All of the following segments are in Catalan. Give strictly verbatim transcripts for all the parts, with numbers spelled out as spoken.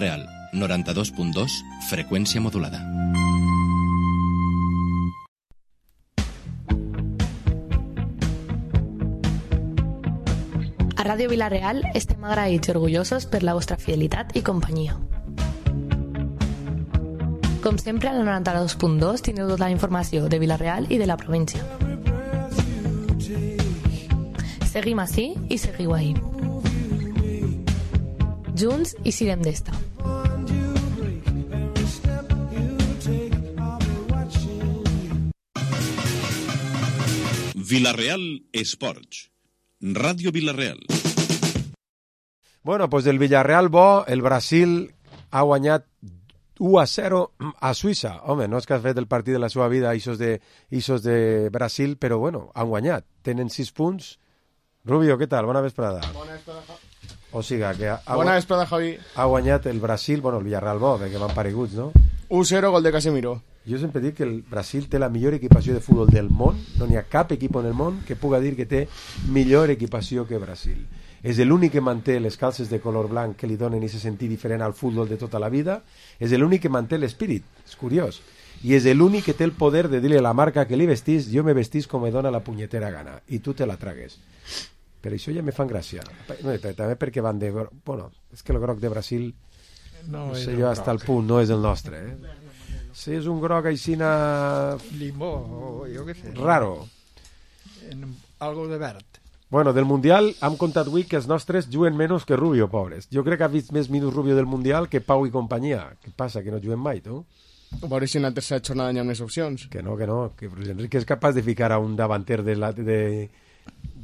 Real, noranta-dos punt dos, freqüència modulada. A Ràdio Vila-real estem agraïts i orgullosos per la vostra fidelitat i companyia. Com sempre, al noranta-dos punt dos teniu tota la informació de Vila-real i de la província. Seguim ací i seguiu ahí. Junts i sirem d'esta. Vila-real Esports. Ràdio Vila-real. Bueno, pues del Villarreal bo, el Brasil ha guanyat u a zero a Suïssa. Home, no és que ha fet el partit de la seva vida ixos de, ixos de Brasil, però bueno, han guanyat. Tenen sis punts. Rubio, què tal? Bona vesprada. Bona vesprada, Javi. O sigui que ha, Bona vesprada, Javi. Ha guanyat el Brasil, bueno, el Villarreal bo, perquè van pareguts, no? u zero, gol de Casemiro. Jo sempre dic que el Brasil té la millor equipació de futbol del món. No n'hi ha cap equip en el món que puga dir que té millor equipació que Brasil. És l'únic que manté les calces de color blanc que li donen i se sentir diferent al futbol de tota la vida. És l'únic que manté l'espírit. És curiós. I és l'únic que té el poder de dir-li a la marca que li vestís, jo me vestís com me dona la punyetera gana. I tu te la tragues. Per això ja me fan gràcia. No, també perquè van de... Bueno, és que el groc de Brasil, no, no sé jo, hasta el punt, no és el nostre. Eh? Si és un groc aixina... Limó, jo què sé. Raro. En algo de verd. Bueno, del Mundial hem contat avui que els nostres juguen menys que Rubio, pobres. Jo crec que ha vist més minuts Rubio del Mundial que Pau i companyia. Què passa, que no juguen mai, tu? A veure si en la tercera jornada hi ha més opcions. Que no, que no. Que Luis Enrique és capaç de ficar a un davanter de, la, de,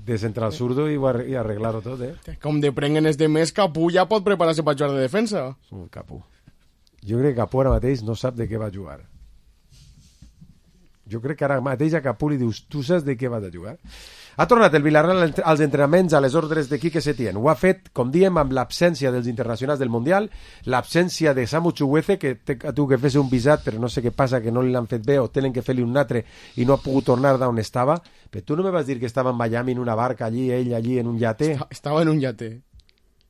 de central zurdo i, i arreglar-ho tot, eh? Com de prenguen els de més, Capú ja pot preparar-se per jugar de defensa. Uh, Capú. Jo crec que Capú ara mateix no sap de què va jugar. Jo crec que ara mateix a Capú li dius, tu saps de què vas a jugar? Ha tornat el Villarreal als entrenaments a les ordres de Quique Setién. Ho ha fet, com diem, amb l'absència dels internacionals del Mundial, l'absència de Samu Chukwueze, que té tu que fes un visat, però no sé què passa, que no li l'han fet bé, o tenen que fer-li un altre i no ha pogut tornar d'on estava. Però tu no me vas dir que estava en Miami en una barca allí, ell allí en un yate? Estava en un yate.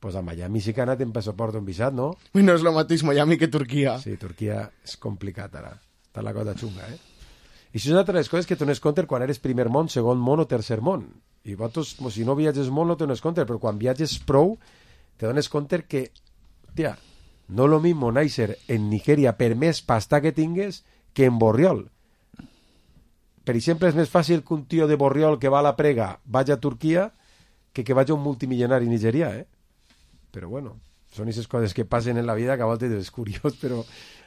Pues a Miami sí que ha anat en passaport un visat, no? No és el mateix Miami que Turquia. Sí, Turquia és complicat ara. Està la cosa xunga, eh? I això és una de les coses que dones compte quan eres primer món, segon món o tercer món. I vosaltres, si no viatges molt, no te dones compte, però quan viatges prou, te dones compte que, tia, no lo mismo néixer en Nigèria per més pasta que tingues que en Borriol. Per exemple, és més fàcil que un tio de Borriol que va a la prega vagi a Turquia que que vagi un multimilionari nigerià, eh? Però bueno, són aquestes coses que passen en la vida que a voltes és curiós, però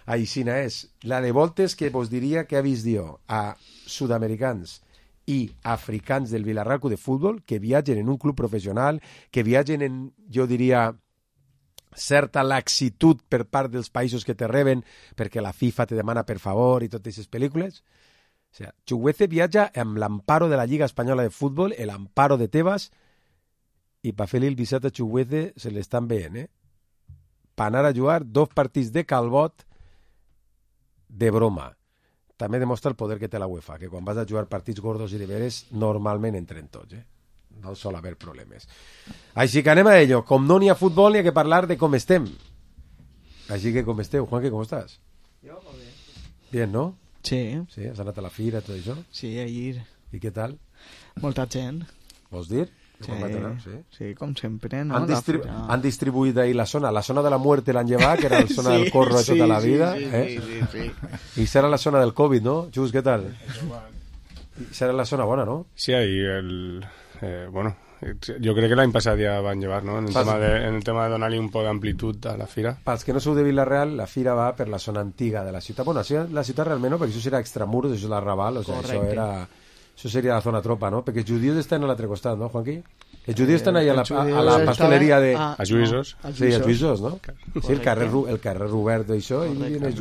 aixina és. La de voltes que vos diria que ha vist jo a sud-americans i africans del Villarreal de futbol que viatgen en un club professional, que viatgen en, jo diria, certa laxitud per part dels països que te reben perquè la FIFA te demana per favor i totes aquestes pel·lícules. O sigui, Chukwueze viatja amb l'amparo de la Lliga Espanyola de Futbol, l'amparo de Tebas, i per fer-li el visat a Chukwueze se l'estan veient, eh? Per anar a jugar dos partits de Calbot de broma. També demostra el poder que té la UEFA, que quan vas a jugar partits gordos i de veres, normalment entren tots, eh? No sol haver problemes. Així que anem a ello. Com no n'hi ha futbol, n'hi ha que parlar de com estem. Així que com esteu? Juanque, com estàs? Jo, molt bé. Bien, no? Sí. Sí, has anat a la fira, tot això? Sí, ahir. I què tal? Molta gent. Vols dir? Sí, sí. sí, com sempre, no? Han, distribu fira... han distribuït ahí la zona, la zona de la muerte l'han llevat, que era la zona sí, del corro de tota sí, la vida, sí, eh? Sí, sí, sí. I serà la zona del Covid, ¿no? Chus, ¿qué tal? Serà la zona bona, ¿no? Sí, ahí el... Eh, bueno, yo creo que l'any passat ja van llevar, ¿no? En el, tema de, en el tema de donar-li un poc d'amplitud a la fira. Pels que no sou de Vila-real, la fira va per la zona antiga de la ciutat. Bueno, la ciutat realment no, perquè això serà extramuros, això és l'Arrabal, o sigui, això era... Això seria la zona tropa, no? Perquè els judíos estan a l'altre costat, no, Juanqui? Els judíos estan allà a la, a la pasteleria de... A Lluïsos. No, sí, a Lluïsos, no? Sí, el carrer, el carrer Robert d'això. El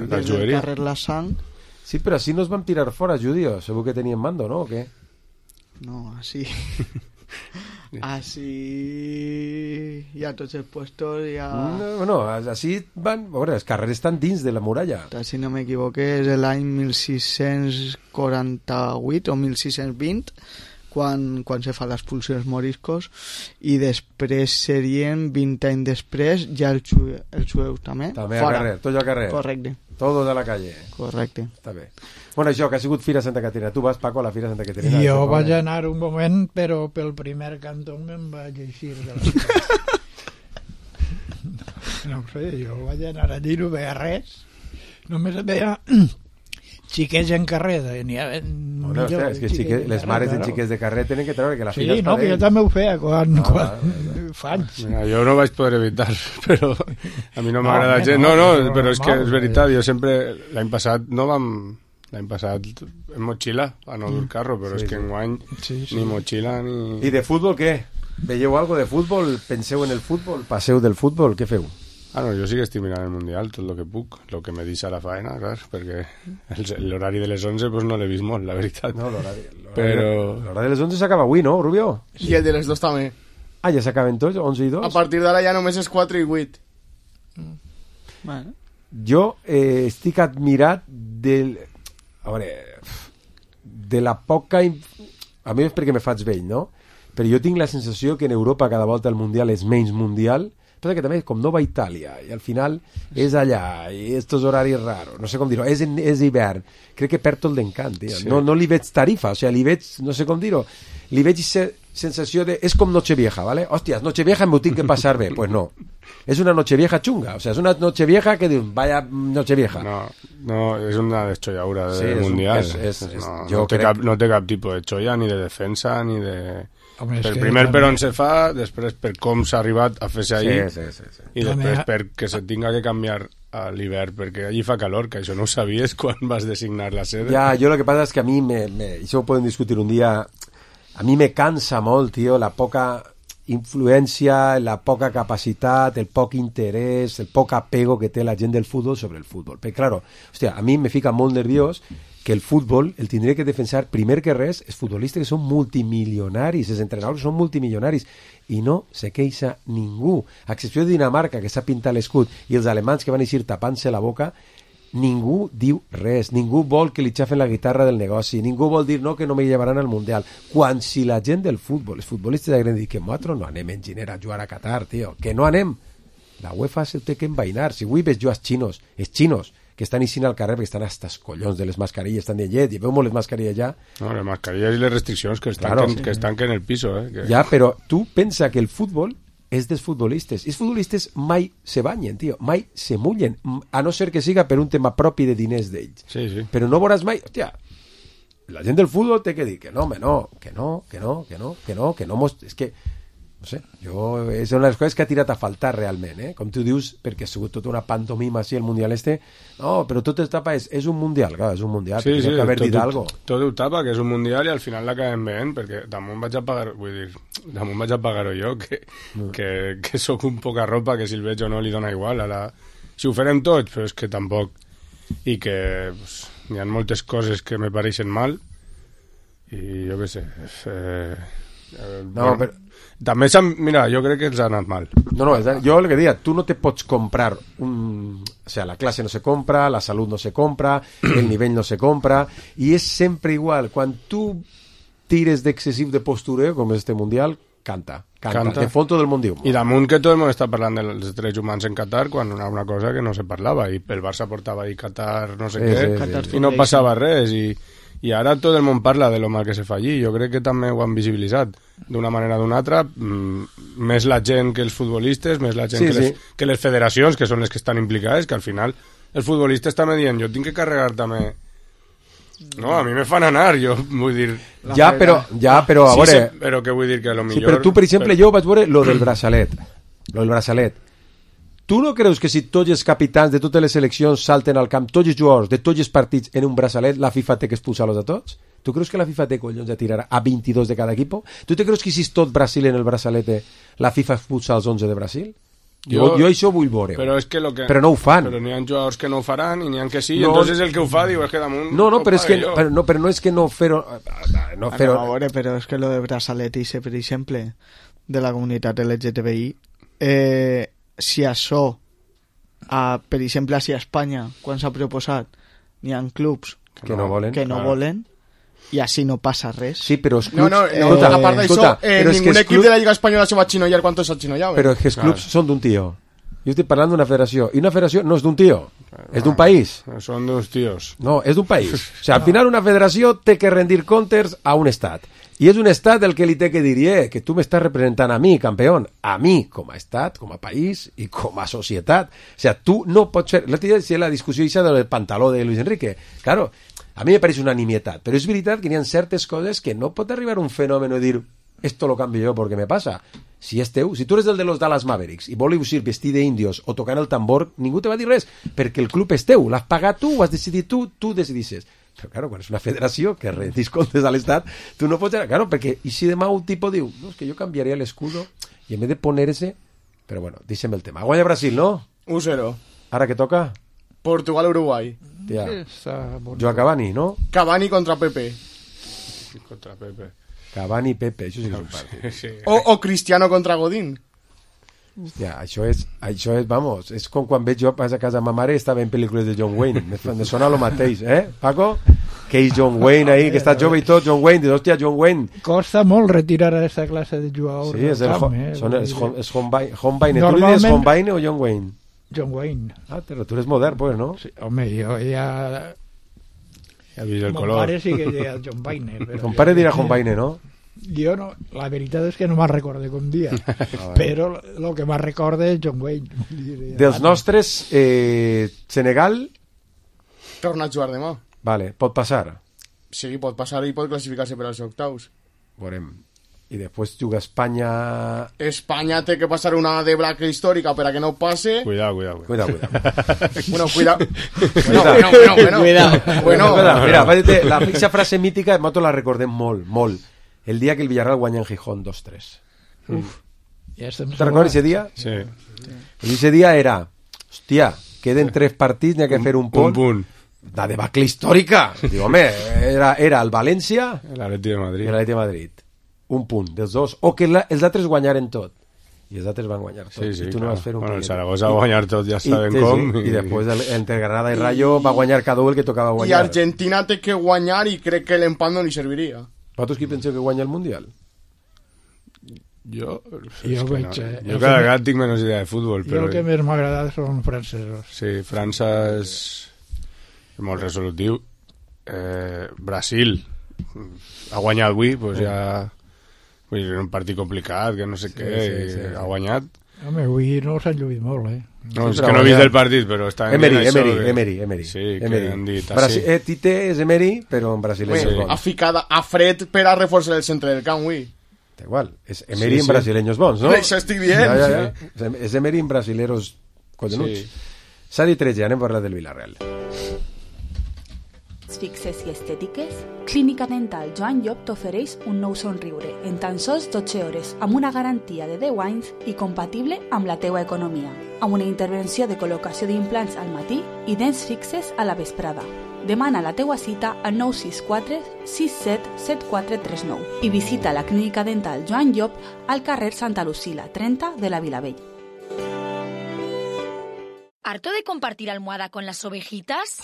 carrer La Sang. Sí, però així no es van tirar fora, judíos. Segur que tenien mando, no? O què? No, así... así... Ya tots els puestos ya... No, no, així van... A veure, els carrers estan dins de la muralla. Si no m'equivoqué, és l'any mil sis-cents quaranta-vuit o mil sis-cents vint quan, quan se fa l'expulsió dels moriscos, i després serien vint anys després ja els, jue, els jueus també. També al carrer, tot al carrer. Correcte. Todo de la calle. Correcte. Està bé. Bueno, això, que ha sigut Fira Santa Caterina. Tu vas, Paco, a la Fira Santa Caterina? Jo vaig anar un moment, però pel primer cantó me'n vaig eixir de la... No ho sé, jo vaig anar allí, no veia res. Només veia xiquets en carrer. N'hi ha, no, no, hòstia, és que xique, les mares de xiquets de carrer tenen que treure que la sí, fira no, que jo també ho feia quan, no, quan no, fa anys. Mira, jo no vaig poder evitar, però a mi no m'agrada no, gens. No, no, no, però és que és veritat, jo sempre, l'any passat no vam... L'any passat en motxilla, a no dur carro, però sí, és que enguany sí, sí. ni motxilla ni... I de futbol què? Veieu algo de futbol? Penseu en el futbol? Passeu del futbol? Què feu? Ah, no, jo sí que estic mirant el Mundial, tot el que puc, el que me deixa la faena, clar, perquè l'horari de les onze pues, no l'he vist molt, la veritat. No, l'horari Però... de les onze s'acaba avui, no, Rubio? Sí. I el de les dos també. Ah, ja s'acaben tots, onze i dos? A partir d'ara ja només és quatre i vuit. Mm. Bueno. Jo eh, estic admirat del... A veure, de la poca... A mi és perquè me faig vell, no? Però jo tinc la sensació que en Europa cada volta el Mundial és menys mundial, però que també com no va a Itàlia i al final és allà i estos horaris raros, no sé com dir-ho, és, és hivern, crec que perd tot l'encant, sí. no, no li veig tarifa, o sigui, li veig, no sé com dir-ho, li veig se, sensació de, és com Nochevieja, ¿vale? Hòstia, Nochevieja m'ho tinc que passar bé, pues no, és una Nochevieja chunga, o sea, és una Nochevieja que diu, vaya Nochevieja. No, no, és una deschollaura de sí, mundial. És, és, és, no, jo no, té crec... cap, no té cap tipus de xolla, ni de defensa, ni de... Home, per primer per on se fa, després per com s'ha arribat a fer-se ahir, sí, sí, sí, sí. i després perquè se tinga que canviar a l'hivern, perquè allí fa calor, que això no ho sabies quan vas designar la sede. Ja, jo lo que passa és que a mi, me, me, això ho podem discutir un dia, a mi me cansa molt, tio, la poca influència, la poca capacitat, el poc interès, el poc apego que té la gent del futbol sobre el futbol. Perquè, claro, hòstia, a mi me fica molt nerviós que el futbol el tindria que defensar primer que res els futbolistes que són multimilionaris, els entrenadors són multimilionaris i no se queixa ningú, a excepció de Dinamarca que s'ha pintat l'escut i els alemans que van eixir tapant-se la boca, ningú diu res, ningú vol que li xafen la guitarra del negoci, ningú vol dir no, que no me llevaran al Mundial, quan si la gent del futbol, els futbolistes hagueren dit que nosaltres no anem en gener a jugar a Qatar, tio, que no anem, la UEFA se té que envainar, si avui ves jo els xinos, els xinos que estan eixint al carrer perquè estan hasta els collons de les mascarilles, estan de llet, i veu molt les mascarilles ja. No, les mascarilles i les restriccions que estan, claro, que, sí. que estan que en el piso. Eh, que... Ja, però tu pensa que el futbol és dels futbolistes. I els futbolistes mai se banyen, tio, mai se mullen, a no ser que siga per un tema propi de diners d'ells. Sí, sí. Però no veuràs mai, hòstia, la gent del futbol té que dir que no, home, no, que no, que no, que no, que no, que no, mos... és que no sé, jo, és una de les coses que ha tirat a faltar realment, eh? Com tu dius, perquè ha sigut tota una pantomima així el Mundial este, no, però tot es tapa, és, és un Mundial, clar, és un Mundial, sí, sí, que haver tot, dit algo. Tot ho tapa, que és un Mundial i al final l'acabem veient, perquè damunt vaig a pagar, vull dir, damunt vaig a pagar-ho jo, que, mm. que, que sóc un poca ropa, que si el veig o no li dona igual, ara, si ho farem tots, però és que tampoc, i que pues, hi ha moltes coses que me pareixen mal, i jo què sé, eh, eh, no, bueno, però també s'han... Mira, jo crec que els ha anat mal. No, no, jo el que diria, tu no te pots comprar un... O sea, la classe no se compra, la salut no se compra, el nivell no se compra, i és sempre igual. Quan tu tires d'excessiu de postureo, com és este Mundial, canta, canta, canta. De fons tot el món diu. I damunt que tot el món està parlant dels drets humans en Qatar, quan una, una cosa que no se parlava, i el Barça portava ahir Qatar no sé sí, què, sí, sí, sí. i no passava res, i... I ara tot el món parla de lo mal que se fa allí. Jo crec que també ho han visibilitzat d'una manera o d'una altra, mm, més la gent que els futbolistes, més la gent sí, que, les, sí. que les federacions, que són les que estan implicades, que al final els futbolistes també dient, jo tinc que carregar també... No, a mi me fan anar, jo vull dir... Ja, però, ja, però a sí, veure... Sí, però què vull dir, que a lo millor... Sí, però tu, per exemple, però... jo vaig veure lo del braçalet. Lo del braçalet. Tu no creus que si tots els capitans de totes les seleccions salten al camp, tots els jugadors de tots els partits en un braçalet, la FIFA té que expulsar-los a tots? Tu creus que la FIFA té collons de tirar a vint-i-dos de cada equip? Tu te creus que si és tot Brasil en el braçalet, la FIFA expulsa els onze de Brasil? Jo, jo, jo això vull veure. Però, és que lo que... però no ho fan. Però n'hi ha jugadors que no ho faran i n'hi ha que sí, no, entonces el que ho fa diu és que damunt... No, no, però és que, però, no, però no és que no fer-ho... No fer a veure, però és que lo de braçalet, per exemple, de la comunitat L G T B I, eh, si això... A, per exemple, si a Espanya, quan s'ha proposat, n'hi ha clubs que no volen, que no claro. volen i així no passa res. Sí, però els No, clubs... no, no escolta, a part d'això, escolta, eh, però és que ningún els equip clubs- de la Lliga Espanyola se va a xinollar quan tots s'axinollaven. Però és que els clubs són d'un tio. Jo estic parlant d'una federació, i una federació no és d'un tio, és d'un país. Són d'uns tios. No, és d'un país. O sigui, al final una federació té que rendir comptes a un estat. I és un estat el que li té que dir, eh, que tu m'estàs representant a mi, campeón, a mi, com a estat, com a país i com a societat. O sigui, tu no pots fer... L'altre dia decía la discussió ixa del pantaló de Luis Enrique. Claro, a mi me pareix una nimietat, però és veritat que hi ha certes coses que no pot arribar un fenòmeno i dir esto lo cambio yo porque me pasa. Si és teu, si tu eres el de los Dallas Mavericks i voleu ir vestit d'índios o tocant el tambor, ningú te va dir res, perquè el club és teu, l'has pagat tu, ho has decidit tu, tu decidisses. Però, claro, quan és una federació que rendís comptes a l'Estat, tu no pots... Claro, perquè i si demà un tipus diu, no, és que jo canviaria l'escudo i en vez de poner-se... Però bueno, deixem el tema. Guanya Brasil, no? u cero. Ara que toca? Portugal-Uruguai. Tia. Joa Cavani, no? Cavani contra Pepe. Contra Pepe. Cavani Pepe, això sí que és un partit. Sí. O, o Cristiano contra Godín. Hòstia, això és, això és, vamos, és com quan veig jo a casa ma mare estava en pel·lícules de John Wayne. Me, me sona lo mateix, eh, Paco? Que és John Wayne ahí, que està jove i tot, John Wayne, dius, hòstia, John Wayne. Costa molt retirar a aquesta classe de jugadors. Sí, és el camp, ho, eh? són, és, és Hombaine. Hombaine. Tu li Normalment- dius Hombaine o John Wayne? John Wayne. Ah, però tu eres modern, pues, no? Sí, home, jo ja... Ja has vist el Mon color. pare sí que deia John Wayne. Però Ton jo- pare dirà Hombaine, no? Jo no, la veritat és que no me'n recorde com dia, Ah, però el que me'n recorde és John Wayne. Dels nostres, eh, Senegal, Torna a jugar demà. vale, pot passar. Sí, pot passar i pot classificar-se per als octaus. Veurem. I després juga Espanya... Espanya té que passar una deblaca històrica per a que no passe. Cuidado, cuidado. Cuidado, cuidado. Bueno, cuida... Bueno, bueno, bueno, bueno. Cuidado. Bueno, Cuidado. Mira, vaig la fixa frase mítica, nosaltres la recordem molt, molt. El dia que el Villarreal guanya en Gijón dos tres. Uf, ja estem ¿Te recordes ese día? Sí. Y ese día era, hostia, queden tres partits, n'hi ha que fer un Un punt. punt. La debacle històrica. Digo, home, era, era el València L'Atleti de i Madrid. l'Atleti de Madrid. Un punt dels dos. O que la, els altres guanyaren tot. I els altres van guanyar tot. Sí, sí, I tu no clar. vas fer un Bueno, el punt. Zaragoza va guanyar tot, ja I, saben sí, com. sí. I després el, entre Granada i Rayo va guanyar cada un el que tocava i guanyar. Argentina té que guanyar i crec que l'empat no li serviria. Vosaltres qui penseu que guanya el Mundial? Jo, Jo és que veig, no. eh, Jo el cada que- gat tinc menys idea de futbol, Jo però... el que més m'ha agradat són francesos. Sí, França és molt resolutiu. Eh, Brasil ha guanyat avui, doncs ja... Vull dir, era un partit complicat, que no sé què, sí, sí. i ha guanyat. Home, avui no s'han lluït molt, eh? No, és però que no he vist guanyat. el partit, però està Emery, dient això Emery, que- Emery, Emery. Sí, que Emery. han dit Brasi així. eh, Tite és Emery, però en brasileño Ui, és ha bons. ficat a fred per a reforçar el centre del camp, ui. Da igual, és Emery Sí, en sí. brasileños bons, no? Això estic dient. Ja, ja, ja. És Emery en brasileros collonuts. Sí. S'ha dit tretze, anem a parlar del Villarreal. Fixes i estètiques? Clínica Dental Joan Llop t'ofereix un nou somriure en tan sols dotze hores amb una garantia de deu anys i compatible amb la teua economia, amb una intervenció de col·locació d'implants al matí i dents fixes a la vesprada. Demana la teua cita al nou sis quatre sis set set quatre tres nou i visita la Clínica Dental Joan Llop al carrer Santa Lucila, trenta de la Vilavell. ¿Harto de compartir almohada con las ovejitas?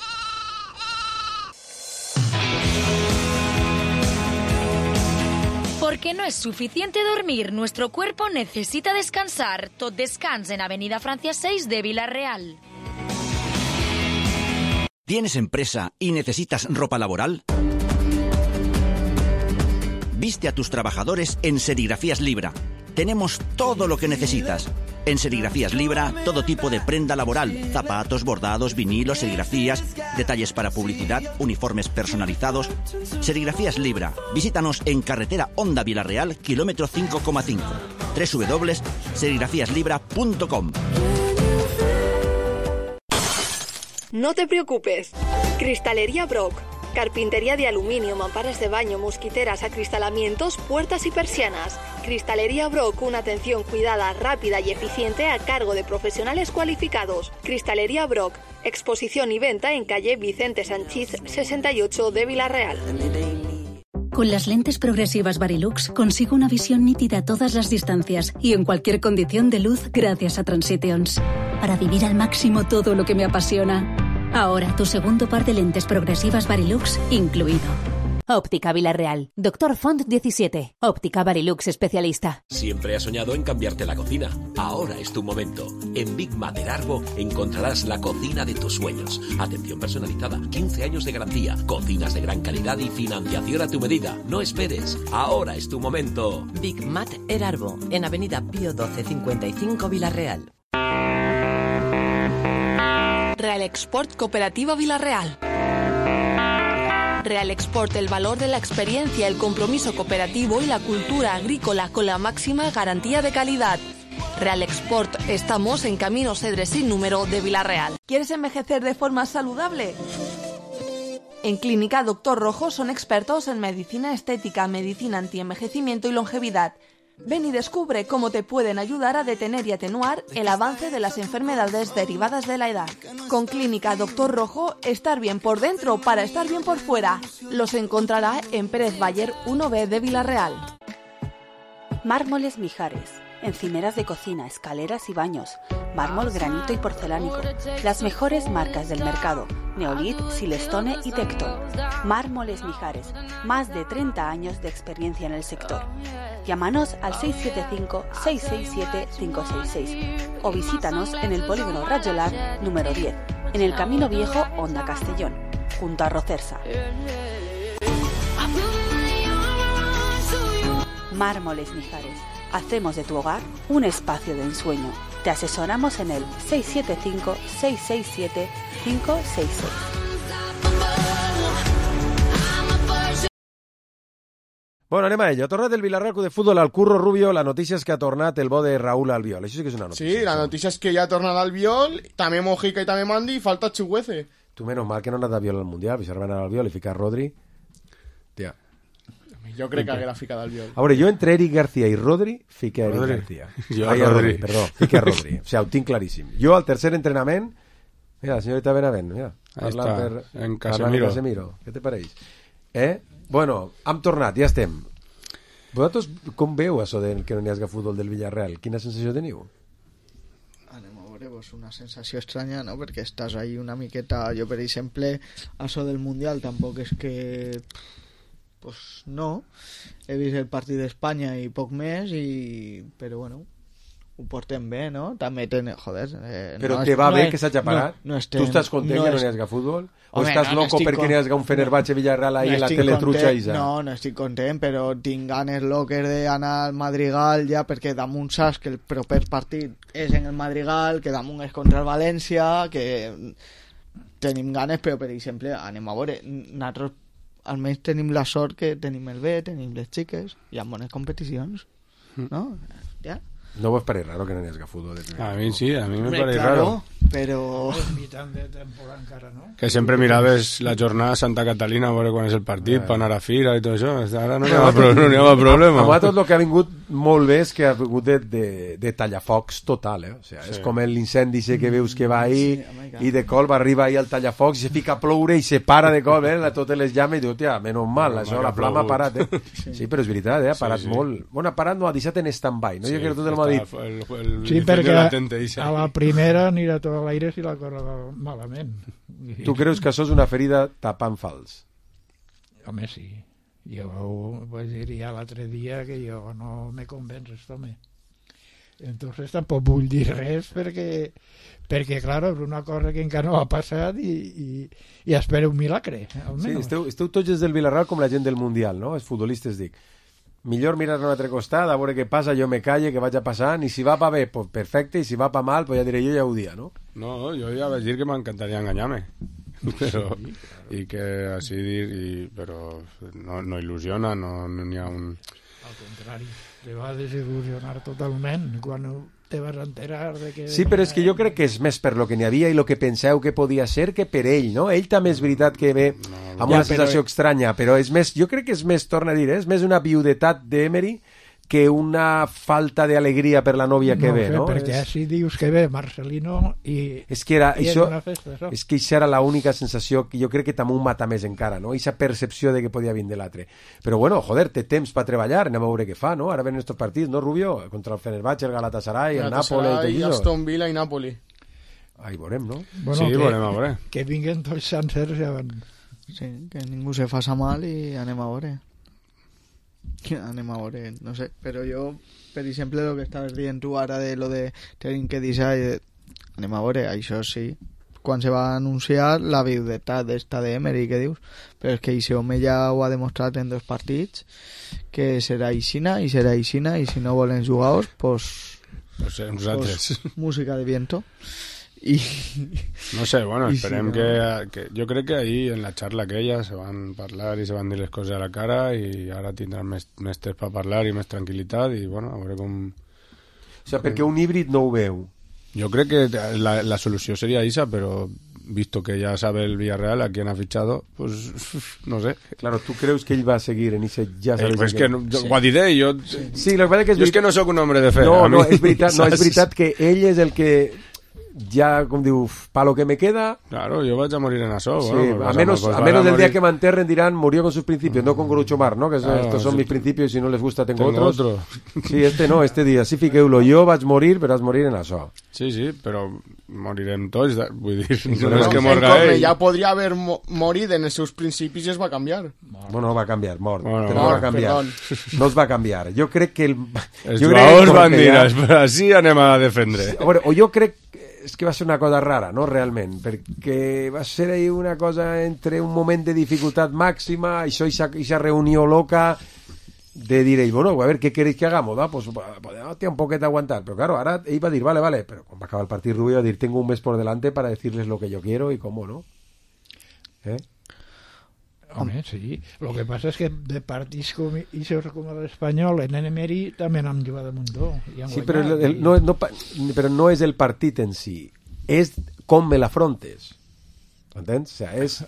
Porque no es suficiente dormir, nuestro cuerpo necesita descansar. Tot descans en Avenida Francia seis de Villarreal. ¿Tienes empresa y necesitas ropa laboral? Viste a tus trabajadores en Serigrafías Libra. Tenemos todo lo que necesitas. En Serigrafías Libra, todo tipo de prenda laboral, zapatos, bordados, vinilos, serigrafías, detalles para publicidad, uniformes personalizados. Serigrafías Libra. Visítanos en carretera Honda Villarreal, kilómetro cinco coma cinco. doble u doble u doble u punto serigrafías libra punto com. No te preocupes. Cristalería Brock. Carpintería de aluminio, mamparas de baño, mosquiteras, acristalamientos, puertas y persianas. Cristalería Brock, una atención cuidada, rápida y eficiente a cargo de profesionales cualificados. Cristalería Brock, exposición y venta en calle Vicente Sanchís sesenta y ocho de Villarreal. Con las lentes progresivas Varilux consigo una visión nítida a todas las distancias y en cualquier condición de luz gracias a Transitions. Para vivir al máximo todo lo que me apasiona. Ahora tu segundo par de lentes progresivas Varilux incluido. Óptica Villarreal. Doctor Font diecisiete. Óptica Barilux especialista. Siempre has soñado en cambiarte la cocina. Ahora es tu momento. En Big Mater Arbo encontrarás la cocina de tus sueños. Atención personalizada, quince años de garantía, cocinas de gran calidad y financiación a tu medida. No esperes. Ahora es tu momento. Big Mater Arbo, en Avenida Pío doce cincuenta y cinco Villarreal. Real Export Cooperativa Villarreal. Real Export, el valor de la experiencia, el compromiso cooperativo y la cultura agrícola con la máxima garantía de calidad. Real Export, estamos en Camino Cedres sin número de Villarreal. ¿Quieres envejecer de forma saludable? En Clínica Doctor Rojo son expertos en medicina estética, medicina antienvejecimiento y longevidad. Ven y descubre cómo te pueden ayudar a detener y atenuar el avance de las enfermedades derivadas de la edad. Con Clínica Doctor Rojo, estar bien por dentro para estar bien por fuera. Los encontrará en Pérez Bayer uno B de Villarreal. Mármoles Mijares. Encimeras de cocina, escaleras y baños, mármol, granito y porcelánico. Las mejores marcas del mercado: Neolith, Silestone y Tecton. Mármoles Mijares, más de treinta años de experiencia en el sector. Llámanos al seis siete cinco, seis seis siete, cinco seis seis o visítanos en el Polígono Rajolar número diez, en el Camino Viejo, Honda Castellón, junto a Rocersa. Mármoles Mijares. Hacemos de tu hogar un espacio de ensueño. Te asesoramos en el seis siete cinco, seis seis siete, cinco seis seis. Bueno, anem a ello. Ha tornat el Villarreal de Futbol al Curro Rubio. La notícia és que ha tornat el bo de Raúl Albiol. Això sí que és una notícia. Sí, la notícia és que ja ha tornat Albiol, també Mojica i també Mandi, i falta Chuguece. Tu, menys mal que no ha anat Albiol al Mundial, perquè si arriben a Albiol i ficar Rodri... Tia. Jo crec que haguera ficat Albiol. A veure, jo entre Eric García i Rodri fique a Eric Rodri. García. Jo Ai, a Rodri. Rodri. Perdó, fique a Rodri. O sigui, ho tinc claríssim. Jo al tercer entrenament... Mira, la señorita Benavent, mira. Ahí Parlant està, per... en parlant Casemiro. Casemiro. Què te pareix? Eh? Bueno, hem tornat, ja estem. Vosaltres com veu això de que no n'hi hagi futbol del Villarreal? Quina sensació teniu? Anem a veure, pues una sensació estranya, no? Perquè estàs ahí una miqueta... Jo, per exemple, això del Mundial tampoc és que... Pues no. He vist el partit d'Espanya i poc més, i... però bueno, ho portem bé, no? També tenen... Joder... Eh, Però no te és, va no bé és, que s'hagi parat? No, no estem, tu estàs content no que no és... n'hi hagi futbol? O Home, estàs no, loco no perquè con... n'hi hagi un Fenerbahce Villarreal ahí no en la estic teletrucha content, isa? No, no estic content, però tinc ganes loques d'anar al Madrigal ja, perquè damunt saps que el proper partit és en el Madrigal, que damunt és contra el València, que tenim ganes, però per exemple, anem a veure, nosaltres almenys tenim la sort que tenim el B, tenim les xiques, hi ha bones competicions, no? Ja. No vos pareix raro que no n'hi hagi futbol? A mi sí, a mi me Hombre, pareix claro, raro. Però... És mitjan de temporada encara, no? Que sempre miraves la jornada a Santa Catalina a veure quan és el partit, per anar a fira i tot això. Ara no n'hi ha, pro no ha problema. A vosaltres el que ha vingut molt bé és que ha vingut de, de, de tallafocs total, eh? O sigui, és Sí. com l'incendi que veus que va ahí Sí, oh my God. i de cop arriba ahí al tallafocs i se fica a ploure i se para de cop, eh? Totes les llames i diu, tia, menys mal, Menys això, mal que la ha flama ha plogut. parat, eh? Sí. Sí, però és veritat, eh? Ha parat Sí, sí. molt. Bueno, ha parat, no, ha deixat en stand-by, no? Sí, Jo crec que tot el m'ha està dit. el- el- Sí, el perquè latente, ixa. a la primera anirà tot a l'aire si la cosa va malament. Tu creus que això és una ferida tapant fals? Home, sí. Jo ho vaig dir ja l'altre dia que jo no me convences, home. Entonces tampoc vull dir res perquè, perquè clar, és una cosa que encara no ha passat i, i, i espero un milagre, Sí, almenys. esteu, esteu tots des del Villarreal com la gent del Mundial, no? Els futbolistes, dic. Millor mirar a un altre costat, a veure què passa, jo me calle, que vaig a passar, i si va pa bé, pues perfecte, i si va pa mal, pues ja diré jo ja ho dia, no? No, jo ja vaig dir que m'encantaria enganyar-me. Però, i que així dir, i, però no, no il·lusiona, no n'hi ha un... Al contrari, te va desil·lusionar totalment quan te vas enterar de que... Sí, però és que jo crec que és més per lo que n'hi havia i lo que penseu que podia ser que per ell, no? Ell també és veritat que ve amb Ja, una sensació però- estranya, però és més, jo crec que és més, torna a dir, eh? És més una viudetat d'Emery que una falta d'alegria per la nòvia que no ve, sé, no? perquè És... així dius que ve Marcelino i, És que era, i és això, una festa, això. és que això era l'única sensació que jo crec que també ho mata més encara, no? Aquesta percepció de que podia vindre l'altre. Però bueno, joder, té temps per treballar, anem a veure què fa, no? Ara venen estos partits, no, Rubio? Contra el Fenerbahce, el Galatasaray, el Napoli, i tot i això. Aston Villa i Napoli. Ahí veurem, no? Bueno, Sí, que, veurem a veure. que vinguen tots sencers ja van... Sí, que ningú se faça mal i anem a veure. Anem a veure, no sé. Però jo, per exemple, el que estaves dient tu ara de lo de tenim que deixar, anem a veure, això sí. Quan se va anunciar la viudetat d'esta d'Emery, què dius? Però és que aquest home ja ho ha demostrat en dos partits, que serà Ixina i serà Ixina, i si no volen jugar-os, pues, pues nosaltres. Pues, música de viento. Y... No sé, bueno, esperem si no... que, que... Jo crec que ahir, en la xarxa aquella, se van parlar i se van dir les coses a la cara i ara tindran més, més temps per parlar i més tranquil·litat i, bueno, a veure com... O sea, perquè un híbrid no ho veu. Yo creo que la, la solución sería esa, pero visto que ya sabe el Villarreal a quién ha fichado, pues no sé. Claro, ¿tú crees que él va a seguir en ese ya sabes? Eh, pues que no, sí. Guadiré, yo... Sí, lo que pasa es que... Es yo es que no soy un hombre de fe. No, no, es veritat, no, és veritat que ell és el que ja, com diu, pa lo que me queda... Claro, yo voy a morir en eso. Sí, bueno, a menos, pues a menos del morir... día que me enterren dirán murió con sus principios, mm. no con Groucho Marx, ¿no? Que claro, estos son sí. mis principios y si no les gusta tengo, tengo otros. Otro. Sí, este no, este día sí fiqueu-lo. Jo vaig morir, però vaig morir en això. Sí, sí, però morirem tots, vull dir, no, no és que en morga ell. Ja podria haver mo morit en els seus principis i es va canviar. Bueno, va canviar, mort. Bueno, però no va canviar. Perdón. No es va canviar. Jo crec que el... Els jugadors van dir, ja... així anem a defendre. Sí, a veure, o jo crec és que va ser una cosa rara, no, realment, perquè va ser ahí una cosa entre un moment de dificultat màxima, això, aquesta reunió loca de dir ell, bueno, a ver, ¿qué queréis que hagamos? Va, pues podemos un poquet aguantar, pero claro, ahora ell va dir, vale, vale, pero cuando acaba el partido Rubio va dir, tengo un mes por delante para decirles lo que yo quiero y cómo, ¿no? ¿Eh? Home, sí. Lo que passa és que de partits com això com l'Espanyol, en Emery també n'han jugat un muntó. Sí, però, el, el, no, no, però no és el partit en si, és com me l'afrontes. Entens? O sea, és...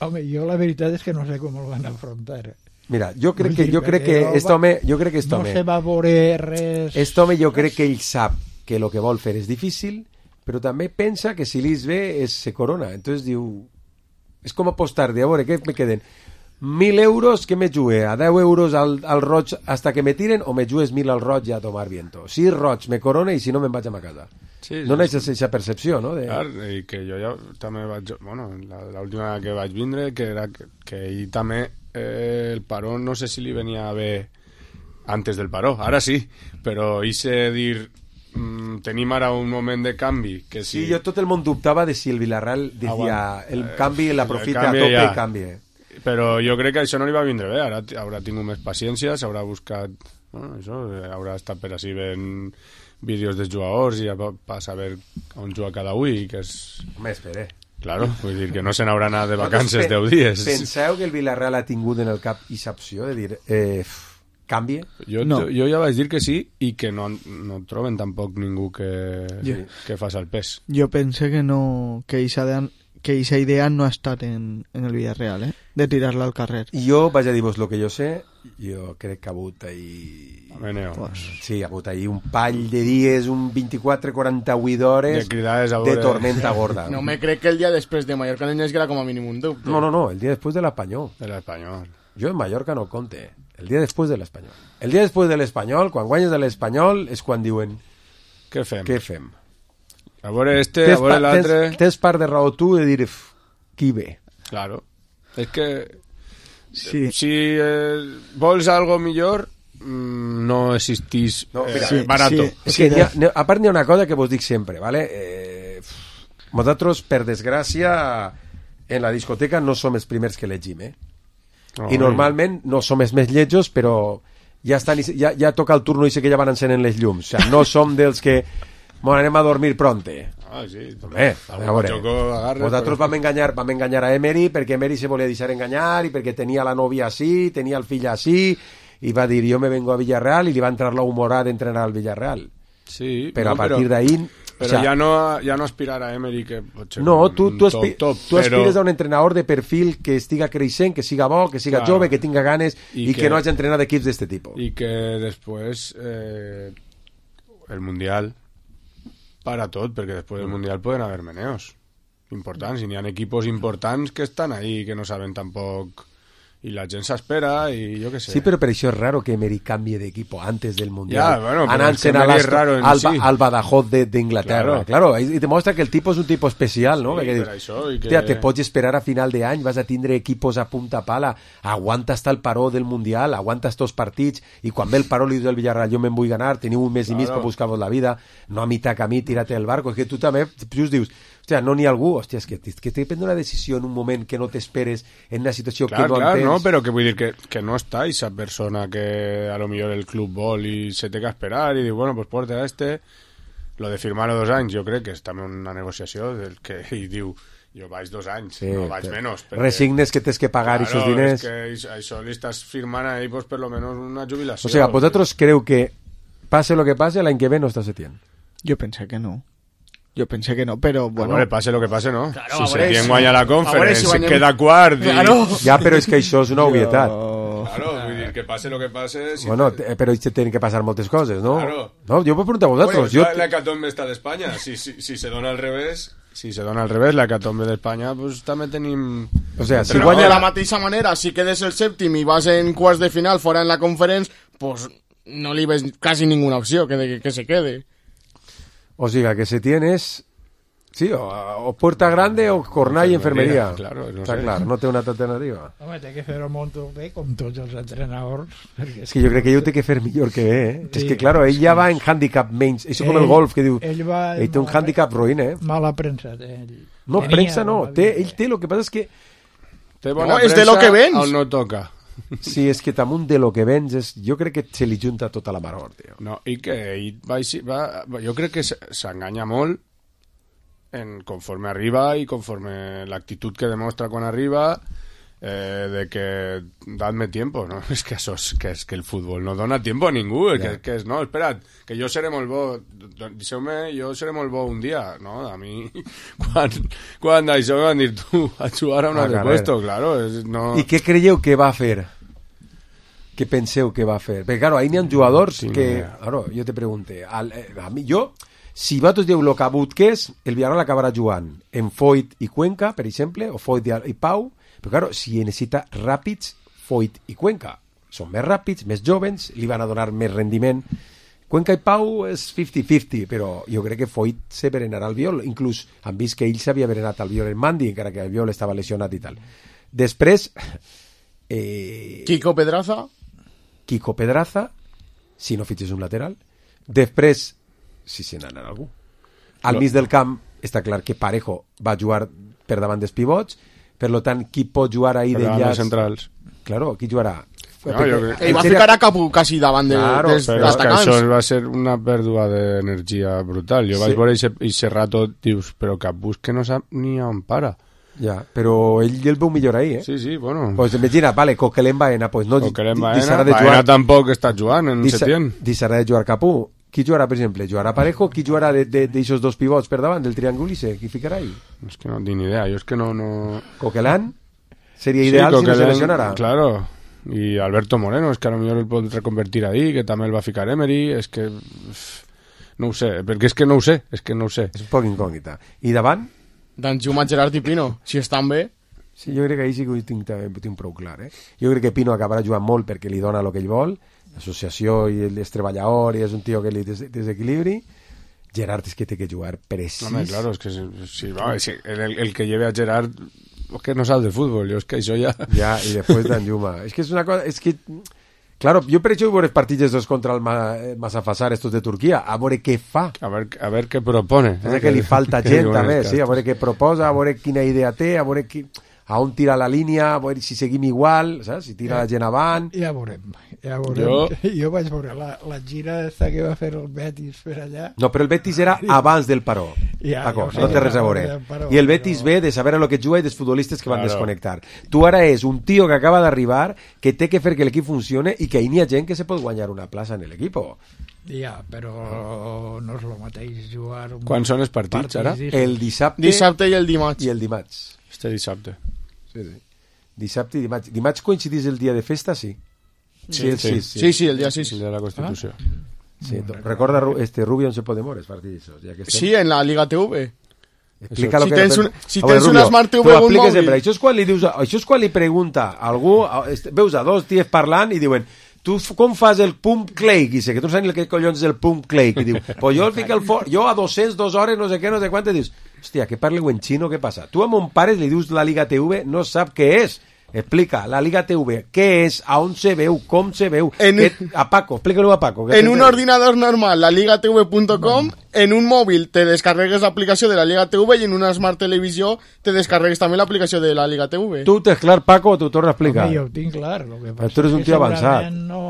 Home, jo la veritat és que no sé com el van afrontar. Mira, jo crec que, jo crec que este home... Jo crec que este no home, se va veure res... Este home jo crec que ell sap que el que vol fer és difícil, però també pensa que si li és bé és se corona. Entonces diu... És com apostar de, a veure, què me queden? Mil euros que me jugue a deu euros al, al roig hasta que me tiren o me jugues mil al roig i a tomar viento. Si és roig me corona i si no me'n vaig a ma casa. Sí, no sí, n'haig aquesta percepció, no? De... Clar, i que jo ja també vaig... Bueno, l'última que vaig vindre, que era que, que ell també eh, el paró no sé si li venia bé antes del paró, ara sí, però hice dir... Mm, tenim ara un moment de canvi que si... Sí, jo tot el món dubtava de si el Villarreal decía ah, bueno, el canvi l'aprofita a tope ja. I canvi. Però jo crec que això no li va vindre bé, ara haurà tingut més paciència, s'haurà buscat, bueno, això, haurà estat per així veient vídeos dels jugadors i per saber on juga cada un i que és... Home, espere. Claro, vull dir que no se n'haurà anat de vacances deu dies. Penseu que el Villarreal ha tingut en el cap aquesta opció de dir... Eh, canvi? Jo, no. jo ja vaig dir que sí i que no, no troben tampoc ningú que, yeah. que faci el pes. Jo pense que no que aquesta idea no ha estat en, en el Villarreal, eh? De tirar-la al carrer. Jo vaig a dir-vos el que jo sé, jo crec que ha hagut ahir... Pues, sí, ha hagut ahir un pall de dies, un vint-i-quatre quaranta-vuit hores de, de tormenta gorda. No me crec que el dia després de Mallorca no hi haguera com a mínim un dubte. No, no, no, el dia després de l'Espanyol. De l'Espanyol. Jo en Mallorca no compte. El dia després de l'Espanyol. El dia després de l'Espanyol, quan guanyes de l'Espanyol, és quan diuen... Què fem? Què fem? A veure este, tens a veure l'altre... Tens, tens part de raó tu de dir qui ve. Claro. És que... Sí. Si eh, vols algo millor, mmm, no existís no, mira, eh, sí, barato. Sí, és que ha, a part n'hi ha una cosa que vos dic sempre, ¿vale? Eh, nosaltres, per desgràcia, en la discoteca no som els primers que llegim, eh? Oh, i normalment no som els més lletjos, però ja, estan, ja, ja toca el turno i sé que ja van encenen les llums, o sigui, no som dels que bueno, anem a dormir pronte. Ah, sí. Home, a veure, nosaltres vam enganyar, vam enganyar a Emery perquè Emery se volia deixar enganyar i perquè tenia la nòvia així, tenia el fill així i va dir, jo me vengo a Villarreal i li va entrar la humorada d'entrenar al Villarreal. Sí, però no, a partir però... d'ahir... Però o sea, ja, no, ja no aspirar a Emery que no, tu, tu, aspi top, top, tu aspires però... a un entrenador de perfil que estiga creixent, que siga bo, que siga claro. jove, que tinga ganes i, i que, que no hagi entrenat equips d'este tipus. I que després eh, el Mundial para tot, perquè després del Mundial poden haver meneos importants, i n'hi ha equipos importants que estan ahí que no saben tampoc y la gent s'espera y yo qué sé. Sí, pero per això és raro que Emery cambie de equipo antes del Mundial. Ya, bueno, pero es que Anant-se'n a Emery es l'Aston- raro en al, sí. Ba- al Badajoz de- d'Inglaterra. Claro. Claro, y demuestra que el tipo és un tipo especial, no? Sí, Perquè per dius, això, i que- hòstia, te pots esperar a final de any, vas a tindre equipos a punta pala, aguanta hasta el paró del Mundial, aguanta estos partits, i quan ve el paró li dius al Villarreal, jo me'n vull ganar, teniu un mes i mig Claro. per buscar-vos la vida, no a mitjà camí, tírate el barco, és que tu també just dius, hòstia, no n'hi ha algú, hòstia, és que, és que t'he de prendre una decisió en un moment que no t'esperes, en una situació Clar, que no clar, entens. no, però que vull dir que, que no està esa persona que a lo millor el club vol i se té que esperar i diu, bueno, pues porta a este. Lo de firmar-lo dos anys, jo crec que és també una negociació del que i diu, jo vaig dos anys, Sí, no vaig te- menys. resignes que tens que pagar claro, esos diners. És que això- això li estàs firmant ahí, pues, per lo menos una jubilació. O sea, vosaltres creu que pase lo que pase, l'any que ve no està Setién? Jo pensé que no. Jo pensé que no, però bueno... A veure, pase lo que pase, no? Claro, si a veure, Setién si- guanya la a veure Conference, si si guanyem- queda quart... I... Claro. Ja, però és que això és una obvietat. Claro, vull dir, que pase lo que pase... Si Bueno, te- però te tenen que passar moltes coses, no? Claro. No, jo puc preguntar a vosaltres. Bueno, jo... la hecatombe està d'Espanya. Si, si, si se dona al revés, si se dona al revés, la hecatombe d'Espanya, pues també tenim... O sea, si Però guanya de la la... mateixa manera, si quedes el sèptim i vas en quarts de final fora en la Conference, pues no li ves quasi ninguna opció que, de, que se quede. O sigui, que Setién és... Sí, o, o Puerta Grande o Cornall i Enfermeria. Claro, no Està sé. clar, no té una altra alternativa. Home, té que fer-ho molt bé, com tots els entrenadors. Perquè És que jo crec que ell ho té que fer millor que bé, eh? Sí, és que, claro, ell ja va en handicap menys. Això com el Ell- golf, que diu... ell va Ell té un mal- handicap ruïn, eh? Mala premsa té ell. No, Tenia premsa no. mala Té, vida. ell té, el que passa és que... Té bona No, és de lo premsa que vens. on no toca. Sí, és que damunt de lo que vens, és... jo crec que se li junta tota la maror, tio. No, i que ell va, així- va, jo crec que s- s'enganya molt en conforme arriba i conforme l'actitud que demostra quan arriba, eh, de que dadme tiempo, no? És que això és que, és que el futbol no dona tiempo a ningú, yeah. que, que és, no, espera't, que jo seré molt bo, deixeu-me, jo seré molt bo un dia, no? A mi, quan, quan això em van dir tu, a jugar a un Ah, altre carai. puesto, claro, és, no... I què creieu que va fer? Què penseu que va fer? Perquè, claro, ahí n'hi ha jugadors tinc que... idea. Claro, jo te pregunte, al, eh, a mi, jo, si vosaltres dieu lo cabut que és, el Villarreal acabarà jugant en Foyt i Cuenca, per exemple, o Foyt i, i Pau, però, claro, si necessita ràpids, Foyt i Cuenca. Són més ràpids, més jovens, li van a donar més rendiment. Cuenca i Pau és cinquanta cinquanta, però jo crec que Foyt se berenarà al Viol. Inclús han vist que ell s'havia berenat al Viol en Mandi, encara que el Viol estava lesionat i tal. Després... Eh, Kiko Pedraza. Kiko Pedraza, si no fitxes un lateral. Després, si se n'anarà algú. Al No. mig del camp està clar que Parejo va jugar per davant dels pivots, per lo tant, qui pot jugar ahí Per davant d'enllaç? dels centrals. Claro, qui jugarà? No, jo crec- Ell va ficar a Capu quasi davant de, Claro, dels Però és que atacants. això va ser una pèrdua d'energia brutal. Jo Sí. vaig veure aquest rato, dius, però Capbus que no sap ni on para. Ja, però ell el veu millor ahí, eh? Sí, sí, bueno. Pues imagina, vale, Coquelin Baena, pues no... Coquelin di- Baena, deixarà de Baena jugar- tampoc està jugant en deixa- Setién. Deixarà de jugar Capú. Qui jugarà, per exemple? Jugarà Parejo? Qui jugarà d'aixòs dos pivots per davant, del triangle ese? Qui ficarà ahí? És que no tinc ni idea, jo és que no... no... Coquelin? Seria ideal si no se lesionara. Claro, i Alberto Moreno, és que a lo millor el pot reconvertir ahí, que també el va ficar Emery, és que... uf, no ho sé, perquè és que no ho sé, és que no ho sé. És un poc incògnita. I davant? Danjuma, Gerard i Pino, si estan bé. Sí, jo crec que ahí sí que ho tinc, també, ho tinc prou clar, eh? Jo crec que Pino acabarà jugant molt perquè li dona el que ell vol, l'associació i el és treballador i és un tio que li des desequilibri. Gerard és que té que jugar precís. Home, claro, és que si, si, va, si el, el que lleve a Gerard és que no sap de futbol, jo és que això ja... Ja, i després Danjuma. És que és una cosa... És que... Claro, jo per això vull veure els partits estos contra el Ma, Masafasar, estos de Turquia, a veure què fa. A veure, a veure què propone. És que li falta gent, també, sí, a veure què proposa, a veure quina idea té, a veure qui, a on tira la línia, a veure si seguim igual, saps? Si tira la gent avant... Ja veurem, ja veurem. Jo- Jo, jo vaig veure la, la gira esta que va fer el Betis per allà. No, però el Betis era abans del paró. Ja, Paco, ja ho sé, no té res a abans veure. del paró, I el Betis però- ve de saber a lo que juga i dels futbolistes que van Claro. desconnectar. Tu ara és un tio que acaba d'arribar, que té que fer que l'equip funcione i que ahí n'hi ha gent que se pot guanyar una plaça en l'equip. Ja, però no és el mateix jugar... Un Quan són els partits, ara? El dissabte... Dissabte i el dimarts. I el dimarts. Este dissabte. Sí, sí. Dissabte i dimarts. Dimarts coincidís el dia de festa, sí. Sí, el sí. sis, Sí, sí, el dia sis. El dia de la Constitució. Sí, recorda Ru- este Rubio en se Podemores, partidizos, ya que estem. Sí, en la Liga T V. Explica si lo que tens, un, si a veure, tens una Smart T V o un mòbil... Sempre. Això, és quan li dius, això és quan li pregunta a algú, veus a dos tios parlant i diuen tu com fas el pump click? I sé que tu no saps què collons és el pump click. I diu, pues jo el fico el for... jo a dos-cents, dues hores, no sé què, no sé quant, i dius, hòstia, que parleu en xino, què passa? Tu a mon pare li dius la Liga T V, no sap què és. Explica, la Liga T V, què és, a on se veu, com se veu... En... Que... A Paco, explica-lo a Paco. En un ordinador normal, la liga t v punto com, no. En un mòbil te descarregues l'aplicació de la Liga T V i en una Smart Televisió te descarregues també l'aplicació de la Liga T V. Tu tens clar, Paco, o t'ho torno a explicar? Home, jo ho tinc clar. Lo que passa tu eres un tio avançat. No...